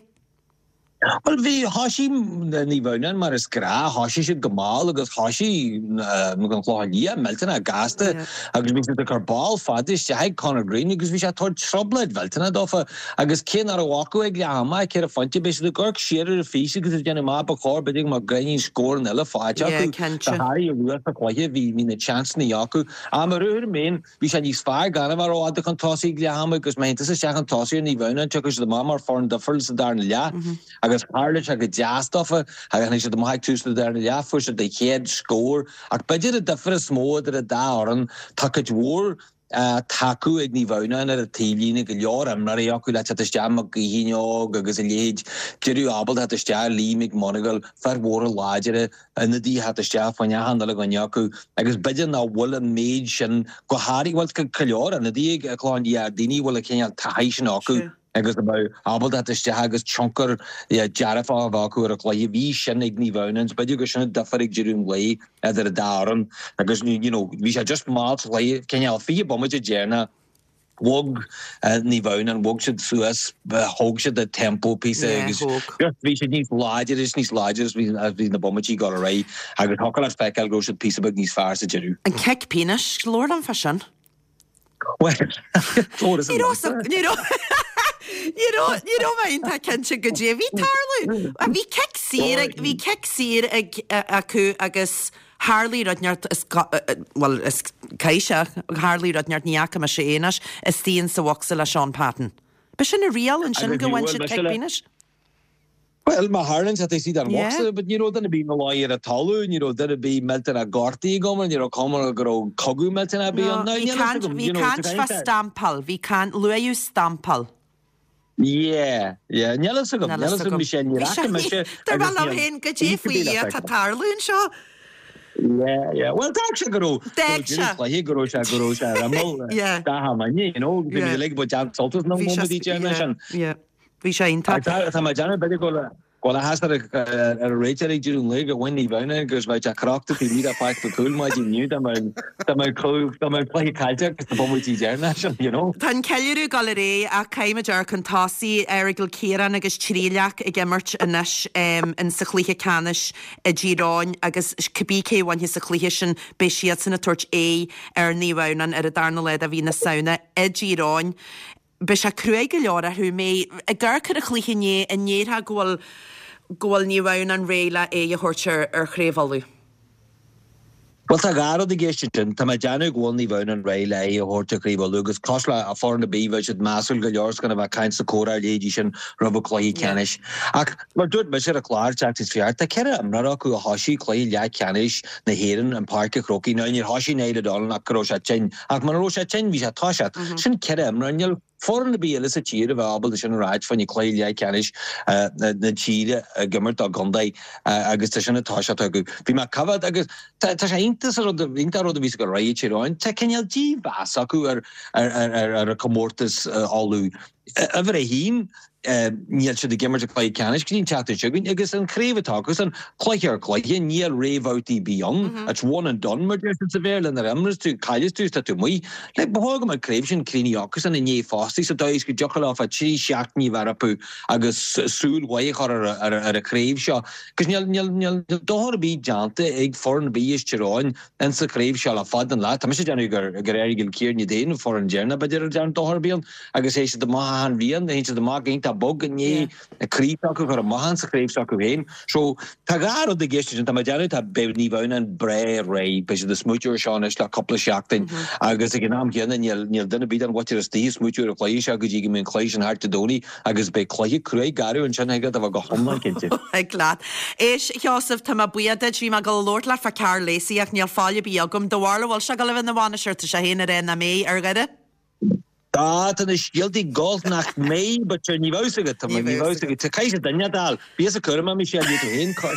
Bhuel bhí, thoisigh Naomh Adhamhnáin mar is gnáth, thoisigh siad go mall agus thoisigh an Clochán Liath millteanach gasta agus bhí siad ag cur ball fada isteach ag Conor Greene agus bhí sé ag tabhairt trioblóid mhillteanach dófa. Agus cé nach raibh acu ag leath ama, ach 4 phointe, bhí siad ag amharc siar ar an fís agus ag déanamh amach ba chóir b'fhéidir go mbeadh greimín scóranna eile faighte acu. Go háirithe luath sa chluiche, bhí bhí na seansanna acu. Ach mar a dúirt mé féin, bhí sé níos fearr gan a bheith rófhada chun tosaigh ag leath ama agus má théann tusa isteach chun tosaigh ar Naomh Adhamhnáin, tiocfaidh siad amach mar foireann difriúil sa darna leath. Agus tharla sé go deas dófa, tháinig siad amach ag tús na darna leath, fuair siad a chéad scór. Ach b'fhéidir an difear is mó idir an dá fhoireann, tá cuid mhór, tacú ag Naomh Adhamhnáin ar an taobhlíne, go leor imreoirí acu le teacht isteach, Mac Gaoithín óg agus a leithéid, deireadh ábalta theacht isteach, Lee McMonagle, fir mhóra láidire, ionadaithe theacht isteach fá choinne achan uile dhuine acu agus b'fhéidir nach bhfuil an méid sin, go háirithe, bhuel tá go leor ionadaithe ag Clochán Liath, daoine a bhfuil an cineál taithí sin acu agus a bheadh ábalta theacht isteach agus tionchar dearfach a bheith acu ar an chluiche. Bhí sin ag Naomh Adhamhnáin, b'fhéidir gur sin an difear ag deireadh an lae. idir an dá fhoireann agus you know bhí sé just mall sa chluiche, cineál 20 bomaite deireanach bhog Naomh Adhamhnáin, bhog siad suas, thóg siad an tempo píosa agus just bhí siad níos láidre is níos láidre as bhí as bhí na bomaití ag dul ar aghaidh agus thiocfadh leat feiceáil go raibh siad píosa beag níos fearr sa deireadh. An cic pionóis, labhair liom fá sin. Ní raibh ní raibh ní raibh ní raibh mé iontach cinnte goidé a bhí ag tarlú. Bhí cic saor ag bhí cic saor ag acu agus tharlaigh rud inteacht is bhuel is caithfidh sé tharlaigh rud inteacht ní fhaca mise é anois istigh in sa bhocsa le Sean Patton. B'shin an riail ansin go bhain siad cic pionóis. Bhuel, má tharlaíonn sé taobh istigh den bhocsa, but ní raibh duine ar bith ina luí ar an talamh, ní raibh duine ar bith millteanach gortaithe agam, ní raibh cuma go raibh cogadh millteanach ar bith ann. No, bhí caint, bhí caint fá stampáil, bhí caint, luaíodh stampáil. Yeah, yeah, níl fhios agam, níl fhios agam, Michelle, níor fhaca mise Dar liom féin, goidé faoi Dhia atá ag tarlú anseo. Yeah, yeah, well d'fhág sé go raibh, go raibh deireadh cluiche, go raibh sé, go raibh sé ar imeall gach am inné, you know, bhí muid uilig ag baint sult as na móimintí deireanacha sin. Yeah. Bhí sé iontach. Tá mé ag déanamh b'fhéidir go bhfuil áthas ar an réiteoir ag deireadh an lae gur bhain Naomh Adhamhnáin agus bheadh sé crochta taobh amuigh de Pháirc Mhic Cumhaill maidin inniu dá mbeadh dá mbeadh cluiche caillte acu sna bomaití deireanacha sin, you know. Tá an ceiliúradh ag dul ar aghaidh ach caithfimid amharc chun tosaigh. Errigal Ciarán agus Tríleac ag imirt anois in sa chluiche ceannais i dTír Eoghain agus cibé cé a bhainfidh sa chluiche sin beidh siadsan ag tabhairt aghaidh ar Naomh Adhamhnáin ar an darna lá de mhí na Samhna i dTír Eoghain. Beidh sé cruaidh go leor orthu. Mé ag amharc ar an chluiche inné, an ndéarfá go bhfuil go bhfuil Naomh Adhamhnáin réidh le aghaidh a thabhairt ar ar Chraobh Uladh? Bhuel, tá dhá rud i gceist ansin. Tá mé ag déanamh go bhfuil Naomh Adhamhnáin réidh le aghaidh a thabhairt ar Chraobh Uladh agus cosúil le foireann ar bith, bheadh siad measúil go leor is gan a bheith ag caint sa comhrá ar leithéidí sin roimh an cluiche ceannais. Ach mar dúirt mise ar an chlár tseachtain seo thart, tá 4 imreoir acu a thoisigh cluiche leathcheannais na hÉireann in Páirc an Chrócaigh. Now níor thoisigh Niall O'Donnell ach go raibh sé tinn. Ach muna raibh sé tinn, bhí sé ag toiseacht. Sin 4 imreoir. Níl foireann ar bith eile sa tír a bheadh ábalta sin a ráit fá choinne cluiche leathcheannais na tíre ag imirt dá gcontae agus tá sin ag toiseacht acu. Bhí mé ag coimhéad agus tá sé iontach an rud, iontach an rud a bhí ag dul ar aghaidh i Tír Eoghain. Tá cineál dímheas acu ar ar an chomórtas Uladh. Uimhir a haon. Níl siad ag imirt i gcluiche ceannais go dtí an tseachtain seo chugainn agus an chraobh atá acusan, cluiche ar chluiche, níl réamhbhabhtaí ar bith ann. It's one and done mar deir siad sa Bhéarla, nuair a imreos tú, cailleas tú is tá tú amuigh. Like, ba chóir go mbeadh an craobh sin críochnaithe acusan inné fosta sa dóigh is go dtiocfadh leofa 3 seachtainí a bheith rompu agus súil mhaith a chur ar an chraobh seo. Agus níl, níl, níl dochar ar bith déanta ag foireann ar bith as Tír Eoghain in sa chraobh seo le fada an lá. Tá mise ag déanamh gur gur éirigh Cill Chiaráin iad féin an foireann deireanach b'fhéidir a dhearn dochar ar bith ann agus théann siad amach achan bhliain, théann siad amach iontach bog i ndiaidh an craobh s'acu a chur amach in sa chraobh s'acu féin. So tá dhá rud i gceist ansin, tá mé ag déanamh tá beidh Naomh Adhamhnáin breá réidh, beidh siad ag smaoitiú ar seo anois le cúpla seachtain agus ag an am chéanna níl níl duine ar bith den mhuintir istigh ag smaoitiú ar an chluiche seo go dtí go mbeidh an cluiche sin thart Dé Domhnaigh Agus beidh cluiche cruaidh garbh ansin thig leat a bheith go hiomlán cinnte. Thig leat. Éist, a Sheosaimh, tá mé buíoch duit. Bhí mé ag dul a labhairt leat fá Karl Lacey ach níl faill ar bith agam. Do bharúil an bhfuil sé ag dul a bheith ina bhainisteoir? Tá sé féin ag rá nach mbeidh ar Dhoire. Tá, tá na scéaltaí ag gabháil nach mbeidh, but sure, ní bheadh fhios agat, tá mé, ní bheadh fhios agat. Caithfidh sé duine a fháil. Bí as a cúram, Michelle, ní tú féin, cois.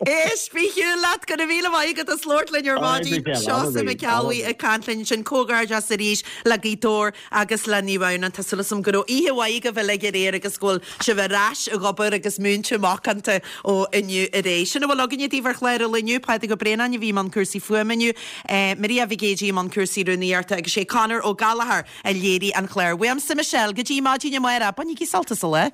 Éist, bí ar shiúl leat, go raibh míle maith agat as labhairt linn ar maidin. Seosamh Mac Ceallaigh ag caint linn ansin. Comhghairdeas arís le Gaoth Dobhair agus le Naomh Adhamhnáin. Tá súil agam go raibh oíche mhaith agaibh uilig aréir agus go bhfuil sibh ar ais ag obair agus múinte macánta ó inniu ar aghaidh. Sin a bhfuil againne daoibh ar chlár an lae inniu. Pádraig Ó Braonáin a bhí i mbun cúrsaí fuaime inniu, Maria Mhic Géidigh i mbun cúrsaí rúnaíochta agus sé Conor Ó Gallchóir a léirigh an clár. Uaimse Michelle, go dtí maidin amárach, bainigí sult as an lá.